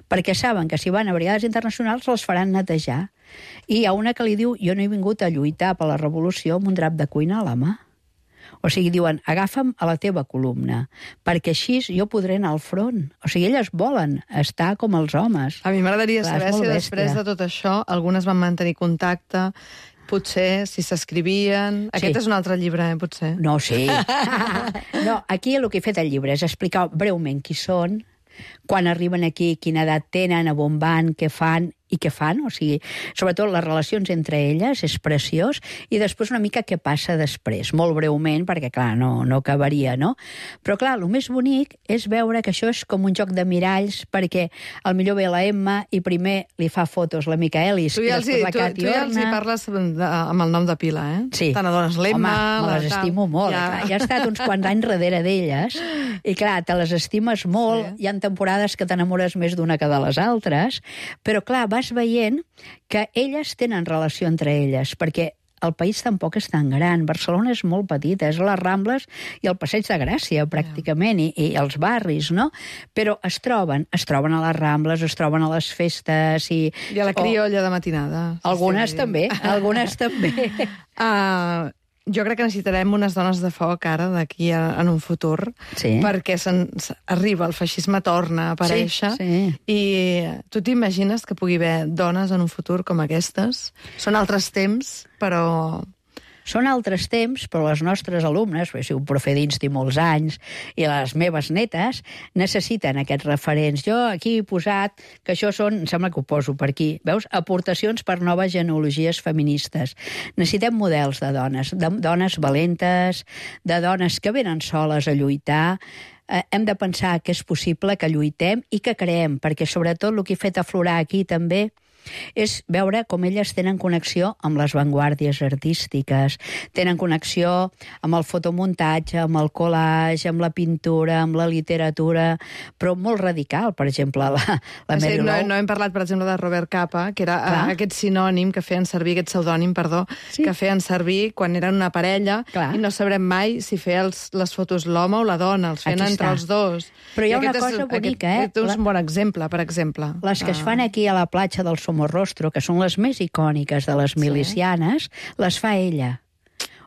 D: perquè saben que si van a brigades internacionals les faran netejar. I hi ha una que li diu, jo no he vingut a lluitar per la revolució amb un drap de cuina a la mà. O sigui, diuen, agafa'm a la teva columna, perquè així jo podré anar al front. O sigui, elles volen estar com els homes.
A: A mi m'agradaria
D: Clar, és
A: saber
D: molt
A: si
D: bèstia.
A: després de tot això algunes van mantenir contacte, potser si s'escrivien...
D: Sí.
A: Aquest és un altre llibre, eh, potser.
D: No, sí. No, aquí el que he fet al llibre és explicar breument qui són, quan arriben aquí, quina edat tenen, a on van, què fan i què fan, o sigui, sobretot les relacions entre elles, és preciós, i després una mica què passa després, molt breument, perquè, clar, no, no acabaria, no? Però, clar, el més bonic és veure que això és com un joc de miralls, perquè al millor ve la Emma i primer li fa fotos l'amica Elis,
A: Tu
D: i
A: ja els, hi,
D: després la
A: tu,
D: Cati
A: tu ja els hi
D: Orna.
A: parles de, amb el nom de pila, eh?
D: Sí.
A: Te n'adones l'Emma...
D: Home, me
A: la
D: les
A: tal.
D: estimo molt.
A: Ja.
D: Ja. ja he estat uns quants anys darrere d'elles, i clar, te les estimes molt,
A: Sí.
D: hi ha temporades que t'enamores més d'una que de les altres, però clar, vas veient que elles tenen relació entre elles, perquè el país tampoc és tan gran. Barcelona és molt petita, és les Rambles i el Passeig de Gràcia, pràcticament, i, i els barris, no? Però es troben, es troben a les Rambles, es troben a les festes... I,
A: I a la criolla de matinada.
D: Algunes
A: Sí.
D: també, algunes també.
A: Uh, jo crec que necessitarem unes dones de foc ara, d'aquí a, en un futur,
D: Sí.
A: perquè se'n, arriba, el feixisme torna a aparèixer,
D: Sí, sí.
A: i tu t'imagines que pugui haver dones en un futur com aquestes? Són altres temps, però...
D: Són altres temps, però les nostres alumnes, perquè he sigut profe d'insti molts anys, i les meves netes, necessiten aquests referents. Jo aquí he posat que això són, em sembla que ho poso per aquí, veus? Aportacions per noves genealogies feministes. Necessitem models de dones, de dones valentes, de dones que venen soles a lluitar. Eh, hem de pensar que és possible que lluitem i que creem, perquè sobretot el que he fet aflorar aquí també és veure com elles tenen connexió amb les vanguardies artístiques, tenen connexió amb el fotomuntatge, amb el collage, amb la pintura, amb la literatura, però molt radical, per exemple, la, la Mary
A: no,
D: Lou.
A: no hem parlat, per exemple, de Robert Capa, que era
D: Clar.
A: aquest sinònim que feien servir, aquest pseudònim, perdó,
D: Sí.
A: que feien servir quan eren una parella,
D: Clar.
A: i no sabrem mai si feia els, les fotos l'home o la dona, els feien
D: Aquí
A: entre
D: està.
A: els dos.
D: Però hi ha
A: I
D: una
A: aquest
D: cosa
A: és,
D: bonica,
A: aquest,
D: eh?
A: Aquest és
D: La-
A: un bon exemple, per exemple.
D: Les que es
A: Ah.
D: fan aquí a la platja del Somorrostro, que són les més icòniques de les milicianes, les fa ella.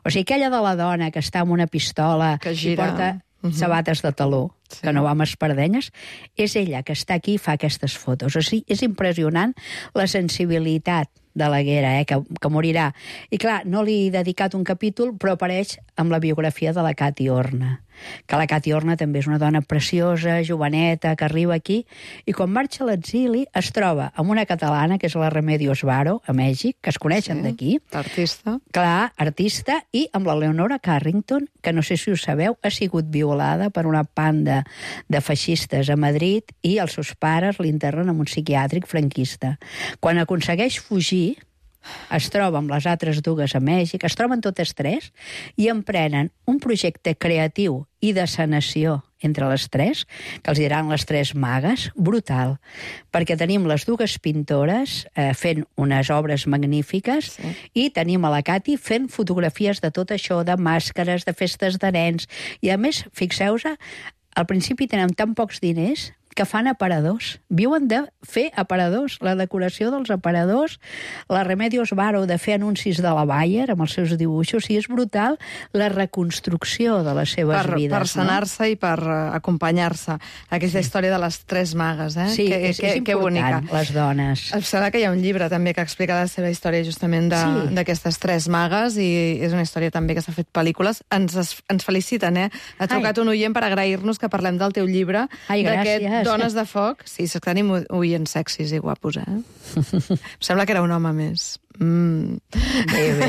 D: O sigui, aquella de la dona que està amb una pistola
A: Que
D: i
A: gira.
D: porta
A: Mhm.
D: sabates de taló,
A: Sí.
D: que no va amb espardenyes, és ella que està aquí i fa aquestes fotos. O sigui, és impressionant la sensibilitat de la Guera, eh, que, que morirà. I clar, no li he dedicat un capítol, però apareix amb la biografia de la Cati Horna, que la Cati Horna també és una dona preciosa, joveneta, que arriba aquí, i quan marxa a l'exili es troba amb una catalana, que és la Remedios Varo, a Mèxic, que es coneixen
A: Sí.
D: d'aquí,
A: Artista.
D: clar, artista, i amb la Leonora Carrington, que no sé si ho sabeu, ha sigut violada per una panda de feixistes a Madrid i els seus pares l'internen en un psiquiàtric franquista. Quan aconsegueix fugir, es troba amb les altres dues a Mèxic, es troben totes tres i emprenen un projecte creatiu i de sanació entre les tres, que els diran les tres magues, brutal, perquè tenim les dues pintores eh, fent unes obres magnífiques
A: Sí.
D: i tenim a la Cati fent fotografies de tot això, de màscares, de festes de nens, i a més, fixeu-vos, al principi tenen tan pocs diners que fan aparadors. Viuen de fer aparadors, la decoració dels aparadors, la Remedios Varo de fer anuncis de la Bayer amb els seus dibuixos, o sigui, és brutal la reconstrucció de les seves
A: Per,
D: vides.
A: per sanar-se i per uh, acompanyar-se. Aquesta història de les tres magues, eh?
D: No? Sí,
A: que,
D: és,
A: que,
D: és
A: que bonica.
D: important, les dones.
A: Em sembla que hi ha un llibre també que explica la seva història justament
D: Sí.
A: d'aquestes sí. tres magues, i és una història també que s'ha fet pel·lícules. Ens, es, ens feliciten, eh? Ha trucat
D: Ai.
A: un oient per agrair-nos que parlem del teu llibre,
D: Ai,
A: d'aquest
D: gràcies.
A: Dones de Foc. Sí, és que tenim oients sexis i guapos, eh? Em sembla que era un home més. Mm.
D: Bé, bé.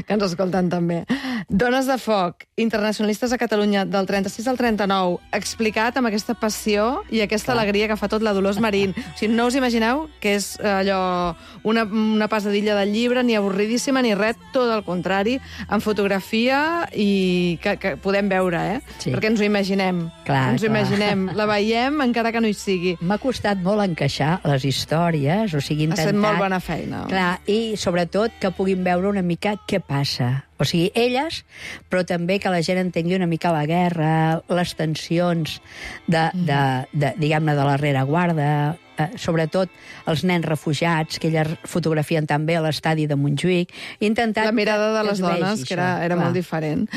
A: Que ens escolten també. Dones de Foc, internacionalistes a Catalunya del trenta-sis al trenta-nou, explicat amb aquesta passió i aquesta
D: Clar.
A: alegria que fa tot la Dolors Marín. O sigui, no us imagineu que és allò una, una passadilla del llibre, ni avorridíssima ni res, tot el contrari, en fotografia, i que, que podem veure, eh?
D: Sí.
A: Perquè ens ho imaginem.
D: Clar,
A: ens ho
D: clar.
A: imaginem. La veiem encara que no hi sigui.
D: M'ha costat molt encaixar les històries, o sigui,
A: Ha
D: intentar...
A: estat molt bona feina.
D: Clar, i sobretot que puguin veure una mica què passa. O sigui, elles, però també que la gent entengui una mica la guerra, les tensions de, de, de, diguem-ne, de la rereguarda, eh, sobretot els nens refugiats, que elles fotografien també a l'estadi de Montjuïc. He intentat
A: La mirada de
D: que
A: les
D: es vegi
A: dones, que era,
D: això,
A: era
D: clar.
A: molt diferent.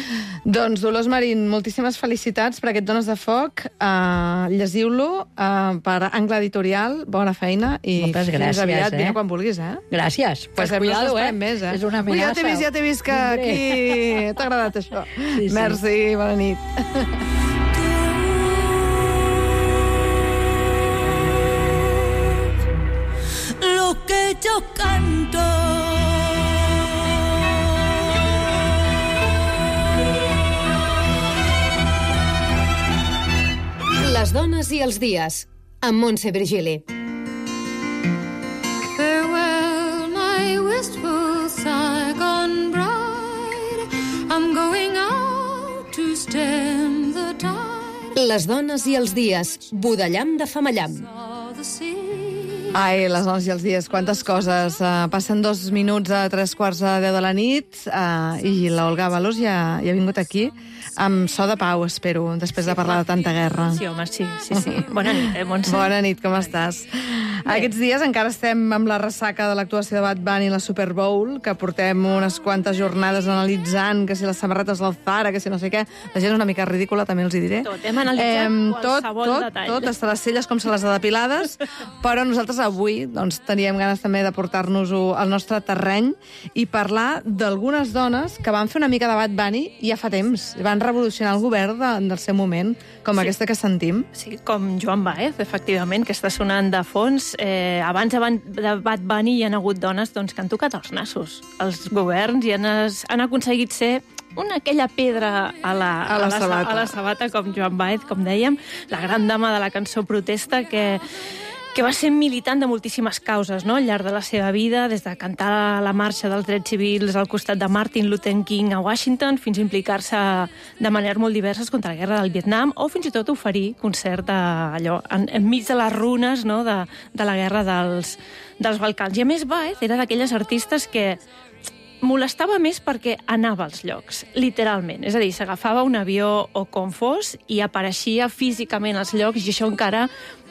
A: Doncs, Dolors Marín, moltíssimes felicitats per aquest Dones de Foc. Uh, llegiu-lo uh, per Angle Editorial. Bona feina i
D: Moltes
A: fins
D: gràcies,
A: aviat.
D: eh?
A: Vine quan vulguis, eh?
D: Gràcies. Pues
A: Que sempre
D: cuidado,
A: n'esperem
D: eh?
A: Més, eh?
D: És una
A: Ui, ja
D: amenaça.
A: t'he vist, ja t'he vist que
D: Vindré.
A: aquí t'ha agradat això.
D: Sí, sí.
A: Merci, bona nit.
C: Lo que yo canto.
E: Les dones i els dies, amb Montse Virgili.
F: Farewell, my wistful Saigon bride. I'm going out to stem the tide
E: Les dones i els dies, Budellam de Famallam.
F: of the sea.
A: Ai, les dones i els dies, quantes coses. Uh, passen dos minuts a tres quarts de deu de la nit uh, i l'Olga Balós ja, ja ha vingut aquí amb so de pau, espero, després de parlar de tanta guerra.
G: Sí, home, sí, sí, sí. Bona nit, eh, Montse?
A: Bona nit, com estàs? Aquests dies encara estem amb la ressaca de l'actuació de Bad Bunny a la Super Bowl, que portem unes quantes jornades analitzant que si les samarretes del Zara, que si no sé què. La gent és una mica ridícula, també els hi diré.
G: Tot, hem analitzat
A: tot,
G: qualsevol
A: tot,
G: detall.
A: tot, hasta les celles com se les ha depilades, però nosaltres avui doncs, teníem ganes també de portar-nos-ho al nostre terreny i parlar d'algunes dones que van fer una mica de Bad Bunny ja fa temps, van revolucionar el govern de, del seu moment, com
G: Sí.
A: aquesta que sentim.
G: Sí, com Joan Baez, efectivament, que està sonant de fons. Eh, abans de Bad Bunny hi ha hagut dones doncs, que han tocat els nassos. Els governs i han, es, han aconseguit ser una aquella pedra a la,
A: A la sabata.
G: a la sabata, com Joan Baez, com dèiem, la gran dama de la cançó protesta, que que va ser militant de moltíssimes causes, no?, al llarg de la seva vida, des de cantar la marxa dels drets civils al costat de Martin Luther King a Washington, fins a implicar-se de maneres molt diverses contra la guerra del Vietnam, o fins i tot oferir concert a, allò, en, enmig de les runes, no?, de, de la guerra dels, dels Balcans. I a més, Baez era d'aquelles artistes que molestava més perquè anava als llocs, literalment. És a dir, s'agafava un avió o com fos i apareixia físicament als llocs, i això encara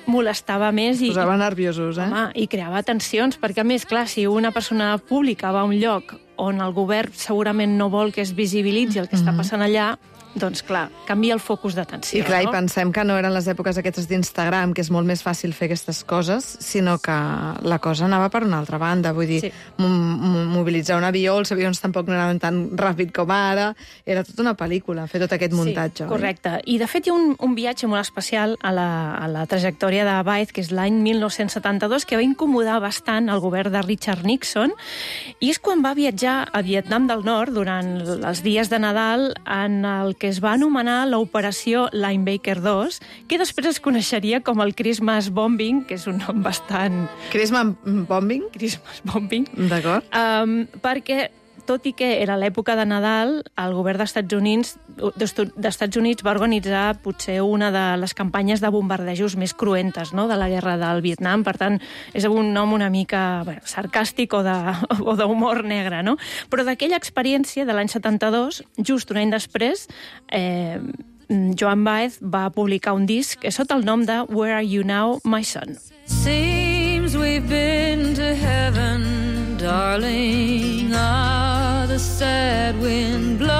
G: molestava més. I,
A: posava nerviosos, eh?
G: Home, i creava tensions, perquè a més, clar, si una persona pública va a un lloc on el govern segurament no vol que es visibilitzi el que està passant allà, doncs clar, canvia el focus d'atenció.
A: I clar,
G: no?
A: I pensem que no eren les èpoques aquestes d'Instagram, que és molt més fàcil fer aquestes coses, sinó que la cosa anava per una altra banda. Vull dir, sí. mobilitzar un avió, els avions tampoc no anaven tan ràpid com ara, era tota una pel·lícula, fer tot aquest muntatge.
G: Sí, correcte. I de fet hi ha un, un viatge molt especial a la, a la trajectòria de Baez, que és l'any mil nou-cents setanta-dos, que va incomodar bastant el govern de Richard Nixon, i és quan va viatjar a Vietnam del Nord durant els dies de Nadal en el que es va anomenar l'operació Linebacker dos, que després es coneixeria com el Christmas Bombing, que és un nom bastant...
A: Christmas Bombing?
G: Christmas Bombing.
A: D'acord.
G: Um, perquè, tot i que era l'època de Nadal, el govern dels Estats Units, d'Estats Units va organitzar potser una de les campanyes de bombardejos més cruentes, no?, de la guerra del Vietnam. Per tant, és un nom una mica bueno, sarcàstic o d'humor negre, no? Però d'aquella experiència de l'any setanta-dos, just un any després, eh, Joan Baez va publicar un disc sota el nom de Where Are You Now, My Son?
C: Seems we've been to heaven, darling, ah, the sad wind blows,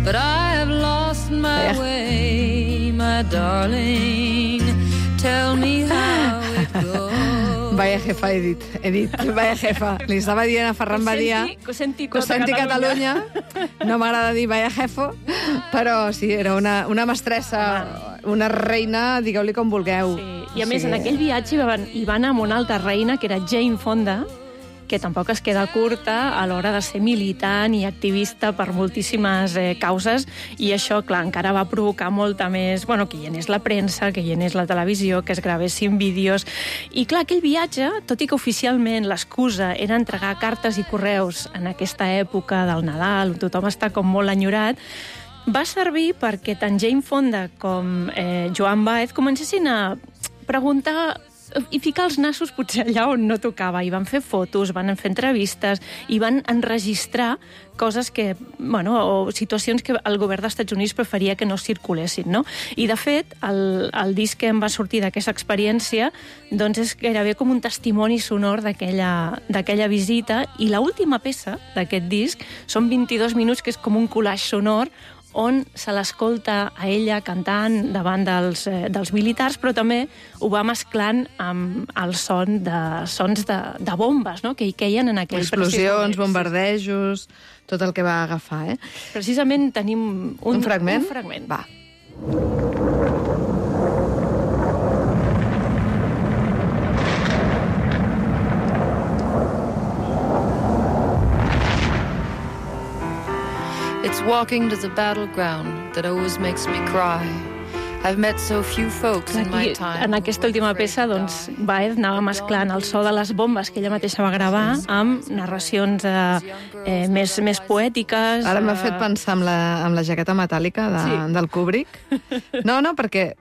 C: but I have lost my way, my darling, tell me how it goes.
A: Vaya jefa, he dit, he dit, vaya jefa. Li estava dient a Ferran Badia,
G: que ho senti,
A: que ho senti Catalunya. No m'agrada dir vaya jefo, però sí, era una, una mestressa, una reina, digueu-li com vulgueu.
G: Sí. I a més, sí. En aquell viatge hi van, hi van amb una altra reina, que era Jane Fonda, que tampoc es queda curta a l'hora de ser militant i activista per moltíssimes eh, causes, i això, clar, encara va provocar molta més... Bueno, que hi anés la premsa, que hi anés la televisió, que es gravessin vídeos... I, clar, aquell viatge, tot i que oficialment l'excusa era entregar cartes i correus en aquesta època del Nadal, on tothom està com molt enyorat, va servir perquè tant Jane Fonda com eh, Joan Baez comencessin a preguntar i ficar els nassos potser allà on no tocava. I van fer fotos, van fer entrevistes i van enregistrar coses que, bueno, o situacions que el govern dels Estats Units preferia que no circulessin, no? I, de fet, el, el disc que em va sortir d'aquesta experiència doncs és gairebé com un testimoni sonor d'aquella visita, i l'última peça d'aquest disc són vint-i-dos minuts, que és com un collage sonor on se l'escolta a ella cantant davant dels, eh, dels militars, però també ho va mesclant amb el son de sons de, de bombes, no?, que hi queien en aquell
A: explosions, bombardejos, tot el que va agafar, eh?
G: Precisament tenim un,
A: un fragment.
G: Un fragment.
A: Va.
H: It's walking to the battleground that always makes me cry. I've met so few folks in my time.
G: En aquesta última peça, doncs, Baez anava mesclant el so de les bombes que ella mateixa va gravar amb narracions eh, eh, més, més poètiques.
A: Ara m'ha fet pensar en la, en la jaqueta metàl·lica de, sí. del Kubrick. No, no, perquè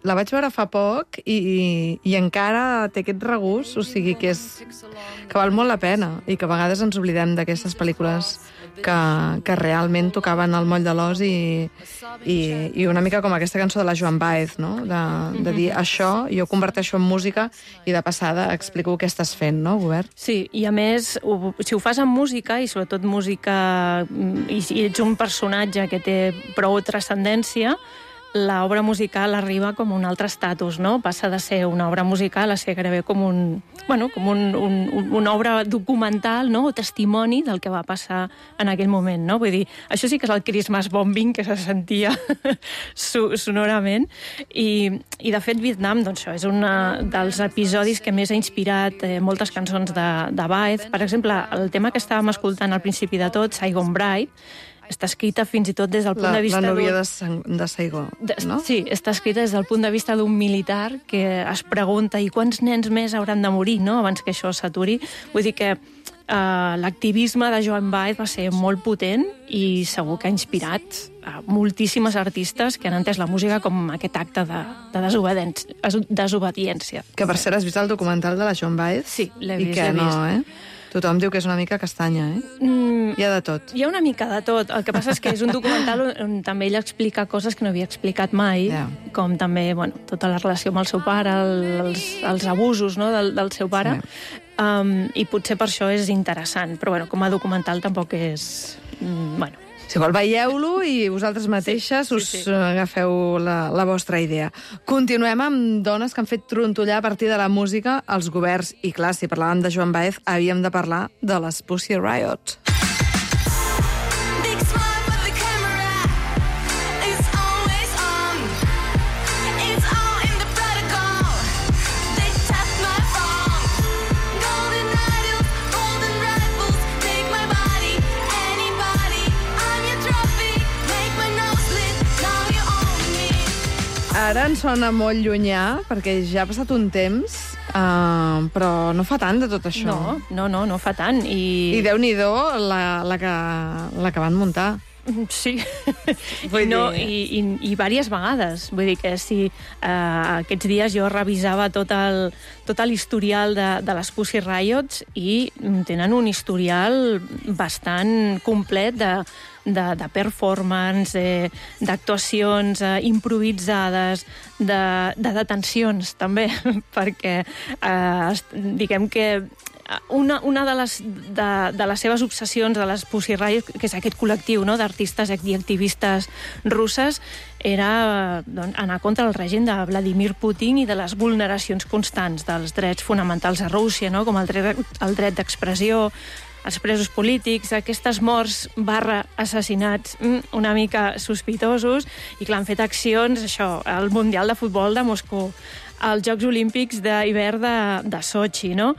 A: la vaig veure fa poc i, i encara té aquest regús, o sigui que, és, que val molt la pena i que a vegades ens oblidem d'aquestes pel·lícules que, que realment tocaven el moll de l'os i, i, i una mica com aquesta cançó de la Joan Baez, no? de, de dir això, jo converteixo en música i de passada explico què estàs fent, no, govern?
G: Sí, i a més, ho, si ho fas amb música, i sobretot música, i, i ets un personatge que té prou transcendència, l'obra musical arriba com un altre estatus, no? Passa de ser una obra musical a ser gairebé com un, bueno, com un, un, una obra documental, no?, o testimoni del que va passar en aquell moment, no? Vull dir, això sí que és el Christmas Bombing que se sentia sonorament. I, i de fet, Vietnam, doncs això, és un dels episodis que més ha inspirat eh, moltes cançons de, de Baez. Per exemple, el tema que estàvem escoltant al principi de tot, Saigon Bride, està escrita fins i tot des del punt
A: La,
G: de vista...
A: la núvia
G: d'un-
A: de, Sang- de Saigó,
G: de,
A: no?
G: Sí, està escrita des del punt de vista d'un militar que es pregunta i quants nens més hauran de morir, no?, abans que això s'aturi. Vull dir que uh, l'activisme de Joan Baez va ser molt potent i segur que ha inspirat a moltíssimes artistes que han entès la música com aquest acte de, de desobediència, desobediència.
A: Que per cert, has vist el documental de la Joan Baez?
G: Sí, l'he
A: I
G: vist,
A: que
G: l'he
A: no,
G: vist.
A: eh? Tothom diu que és una mica castanya, eh?
G: Mm,
A: Hi ha de tot.
G: Hi ha una mica de tot. El que passa és que és un documental on, on també ella explica coses que no havia explicat mai,
A: Ja.
G: com també, bueno, tota la relació amb el seu pare, el, els, els abusos, no?, del, del seu pare,
A: Sí.
G: um, i potser per això és interessant. Però, bueno, com a documental tampoc és... Mm, bueno,
A: Si vol, veieu-lo i vosaltres mateixes
G: Sí,
A: us
G: sí, sí.
A: agafeu la, la vostra idea. Continuem amb dones que han fet trontollar a partir de la música els governs. I clar, si parlàvem de Joan Baez, havíem de parlar de les Pussy Riot.
C: Big smile for the camera. It's always on. It's all in the protocol. They tap my phone. Golden idols, golden rifles. Take my body, anybody. I'm your trophy. Make my nose lit. Now you own me.
A: Ara ens sona molt llunyà, perquè ja ha passat un temps, uh, però no fa tant de tot això.
G: no, no, no, no fa tant. I,
A: I Déu-n'hi-do la, la, que, la que van muntar.
G: Sí,
A: Vull
G: no,
A: dir-
G: i, i, i diverses vegades. Vull dir que si eh, aquests dies jo revisava tot el tot l'historial de, de les Pussy Riots i tenen un historial bastant complet de, de, de performance, eh, d'actuacions eh, improvisades, de, de detencions, també, perquè eh, es- diguem que una, una de, les, de, de les seves obsessions de les Pussy Riot, que és aquest col·lectiu, no?, d'artistes i activistes russes, era doncs, anar contra el règim de Vladimir Putin i de les vulneracions constants dels drets fonamentals a Rússia, no?, com el dret, el dret d'expressió, els presos polítics, aquestes morts barra assassinats mm, una mica sospitosos, i clar, han fet accions, això, al Mundial de Futbol de Moscou, als Jocs Olímpics d'hivern de, de Sochi, no?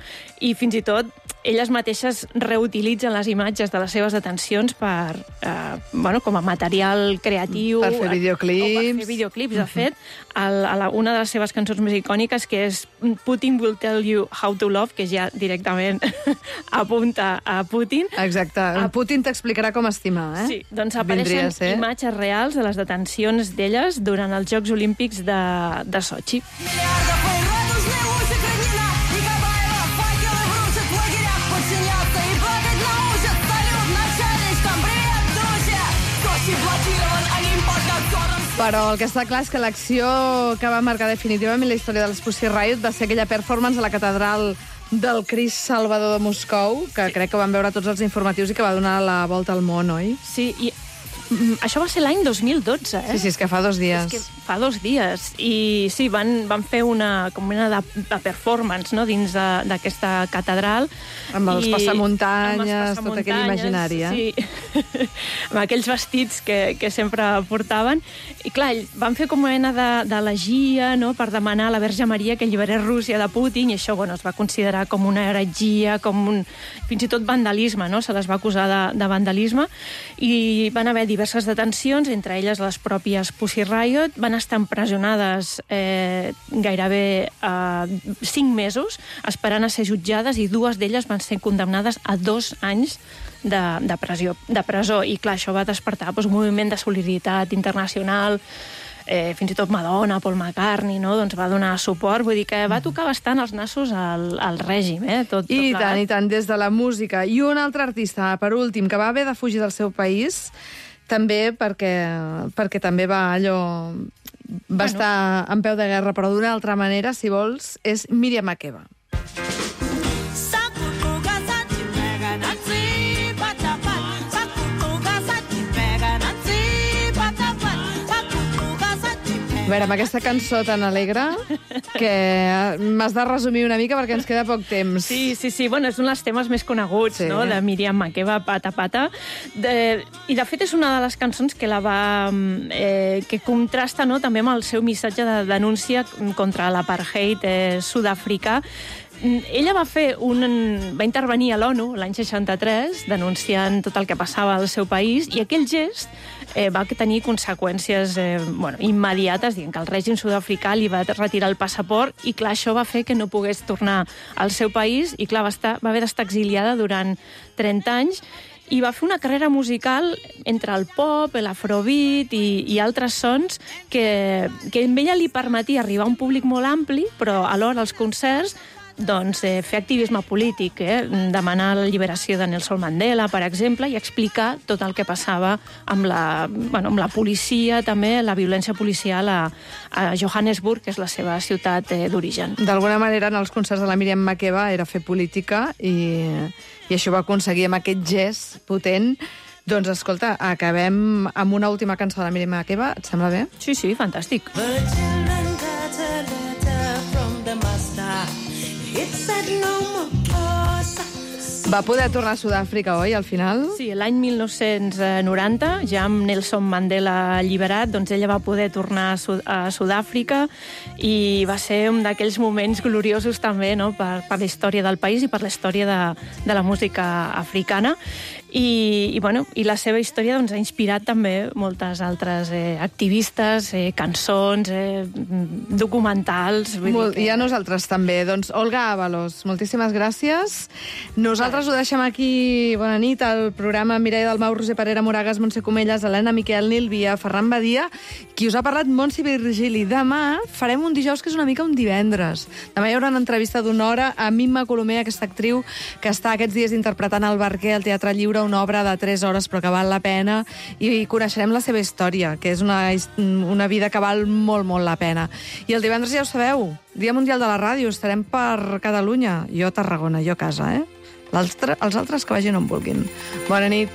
G: I fins i tot elles mateixes reutilitzen les imatges de les seves detencions per, eh, bueno, com a material creatiu.
A: Per fer videoclips.
G: O per fer videoclips, de fet. El, a la, una de les seves cançons més icòniques, que és Putin will tell you how to love, que ja directament apunta a Putin.
A: Exacte.
G: A-
A: Putin t'explicarà com estimar, eh?
G: Sí, doncs
A: Vindria
G: apareixen
A: a ser.
G: imatges reals de les detencions d'elles durant els Jocs Olímpics de, de Sochi.
C: Миллиардов радужный луч Украина. Николаева, факелы в ручек в лагерях подчиняться и плакать научат. Салют начальничкам, привет, друзья. Сочи блокирован, Олимпос над гором.
A: Però el que està clar és que l'acció que va marcar definitivament la història de les Pussy Riot va ser aquella performance a la catedral del Crist Salvador de Moscou, que sí. crec que van veure tots els informatius i que va donar la volta al món, oi?
G: Sí, i mm, això va ser l'any dos mil dotze, eh?
A: Sí, sí, és que fa dos dies.
G: És que fa dos dies. I sí, van, van fer una, com una de, de performance, no?, dins de- d'aquesta catedral.
A: Amb els
G: I-
A: passamuntanyes,
G: amb els
A: tot aquell imaginari, eh?
G: Sí, amb aquells vestits que, que sempre portaven. I clar, van fer com una mena de- d'elegia, no?, per demanar a la Verge Maria que alliberés Rússia de Putin, i això, bueno, es va considerar com una heretgia, com un... fins i tot vandalisme, no?, se les va acusar de, de vandalisme, i van haver diverses detencions, entre elles les pròpies Pussy Riot. Van estar empresonades eh, gairebé eh, cinc mesos, esperant a ser jutjades, i dues d'elles van ser condemnades a dos anys de, de, pressió, de presó. I clar, això va despertar doncs, un moviment de solidaritat internacional, eh, fins i tot Madonna, Paul McCartney, no?, doncs va donar suport. Vull dir que va tocar bastant els nassos al, al règim, eh? Tot, tot
A: I
G: plegat.
A: tant, i tant, des de la música. I un altre artista, per últim, que va haver de fugir del seu país, també perquè, perquè també va allò... Va
G: Bueno.
A: estar en peu de guerra, però d'una altra manera, si vols, és Míriam Makeba. A veure, amb aquesta cançó tan alegre, que m'has de resumir una mica perquè ens queda poc temps.
G: Sí, sí, sí. Bueno, és un dels temes més coneguts,
A: Sí.
G: no?, de Míriam Makeba, Pata Pata. De... I, de fet, és una de les cançons que la va... Eh, que contrasta, no?, també amb el seu missatge de denúncia contra l'apartheid eh, sud-africà, ella va fer un... va intervenir a l'ONU l'any seixanta-tres denunciant tot el que passava al seu país i aquell gest eh, va tenir conseqüències eh, bueno, immediates, dient que el règim sud-africà li va retirar el passaport i clar, això va fer que no pogués tornar al seu país i clar, va, estar, va haver d'estar exiliada durant trenta anys i va fer una carrera musical entre el pop, l'afrobeat i, i altres sons que, que a ella li permetia arribar a un públic molt ampli, però alhora als concerts doncs, eh, fer activisme polític, eh? Demanar la lliberació de Nelson Mandela, per exemple, i explicar tot el que passava amb la, bueno, amb la policia, també la violència policial a, a Johannesburg, que és la seva ciutat eh, d'origen.
A: D'alguna manera, en els concerts de la Míriam Makeba era fer política i, i això va aconseguir amb aquest gest potent. Doncs, escolta, acabem amb una última cançó de la Míriam Makeba. Et sembla bé?
G: Sí, sí, fantàstic.
A: Va poder tornar a Sud-àfrica, oi, al final?
G: Sí, l'any mil nou-cents noranta, ja amb Nelson Mandela alliberat, doncs ella va poder tornar a, Sud a Sud-àfrica i va ser un d'aquells moments gloriosos també, no?, per, per la història del país i per la història de, de la música africana. I, i, bueno, i la seva història doncs, ha inspirat també moltes altres eh, activistes, eh, cançons, eh, documentals... Vull
A: Molt,
G: dir que...
A: I a nosaltres també. Doncs, Olga Ábalos, moltíssimes gràcies. Nosaltres ho deixem aquí. Bona nit. El programa Mireia Dalmau, Roser Parera, Moragas, Montse Comelles, Helena Miquel, Nil Via, Ferran Badia, qui us ha parlat, Montse Virgili. Demà farem un dijous que és una mica un divendres. Demà hi haurà una entrevista d'una hora a Mimma Colomer, aquesta actriu que està aquests dies interpretant el Barquer al Teatre Lliure, una obra de tres hores però que val la pena, i coneixerem la seva història, que és una, una vida que val molt, molt la pena. I el divendres ja ho sabeu, Dia Mundial de la Ràdio, estarem per Catalunya, jo a Tarragona, jo a casa, eh? Els altres que vagin on vulguin. Bona nit.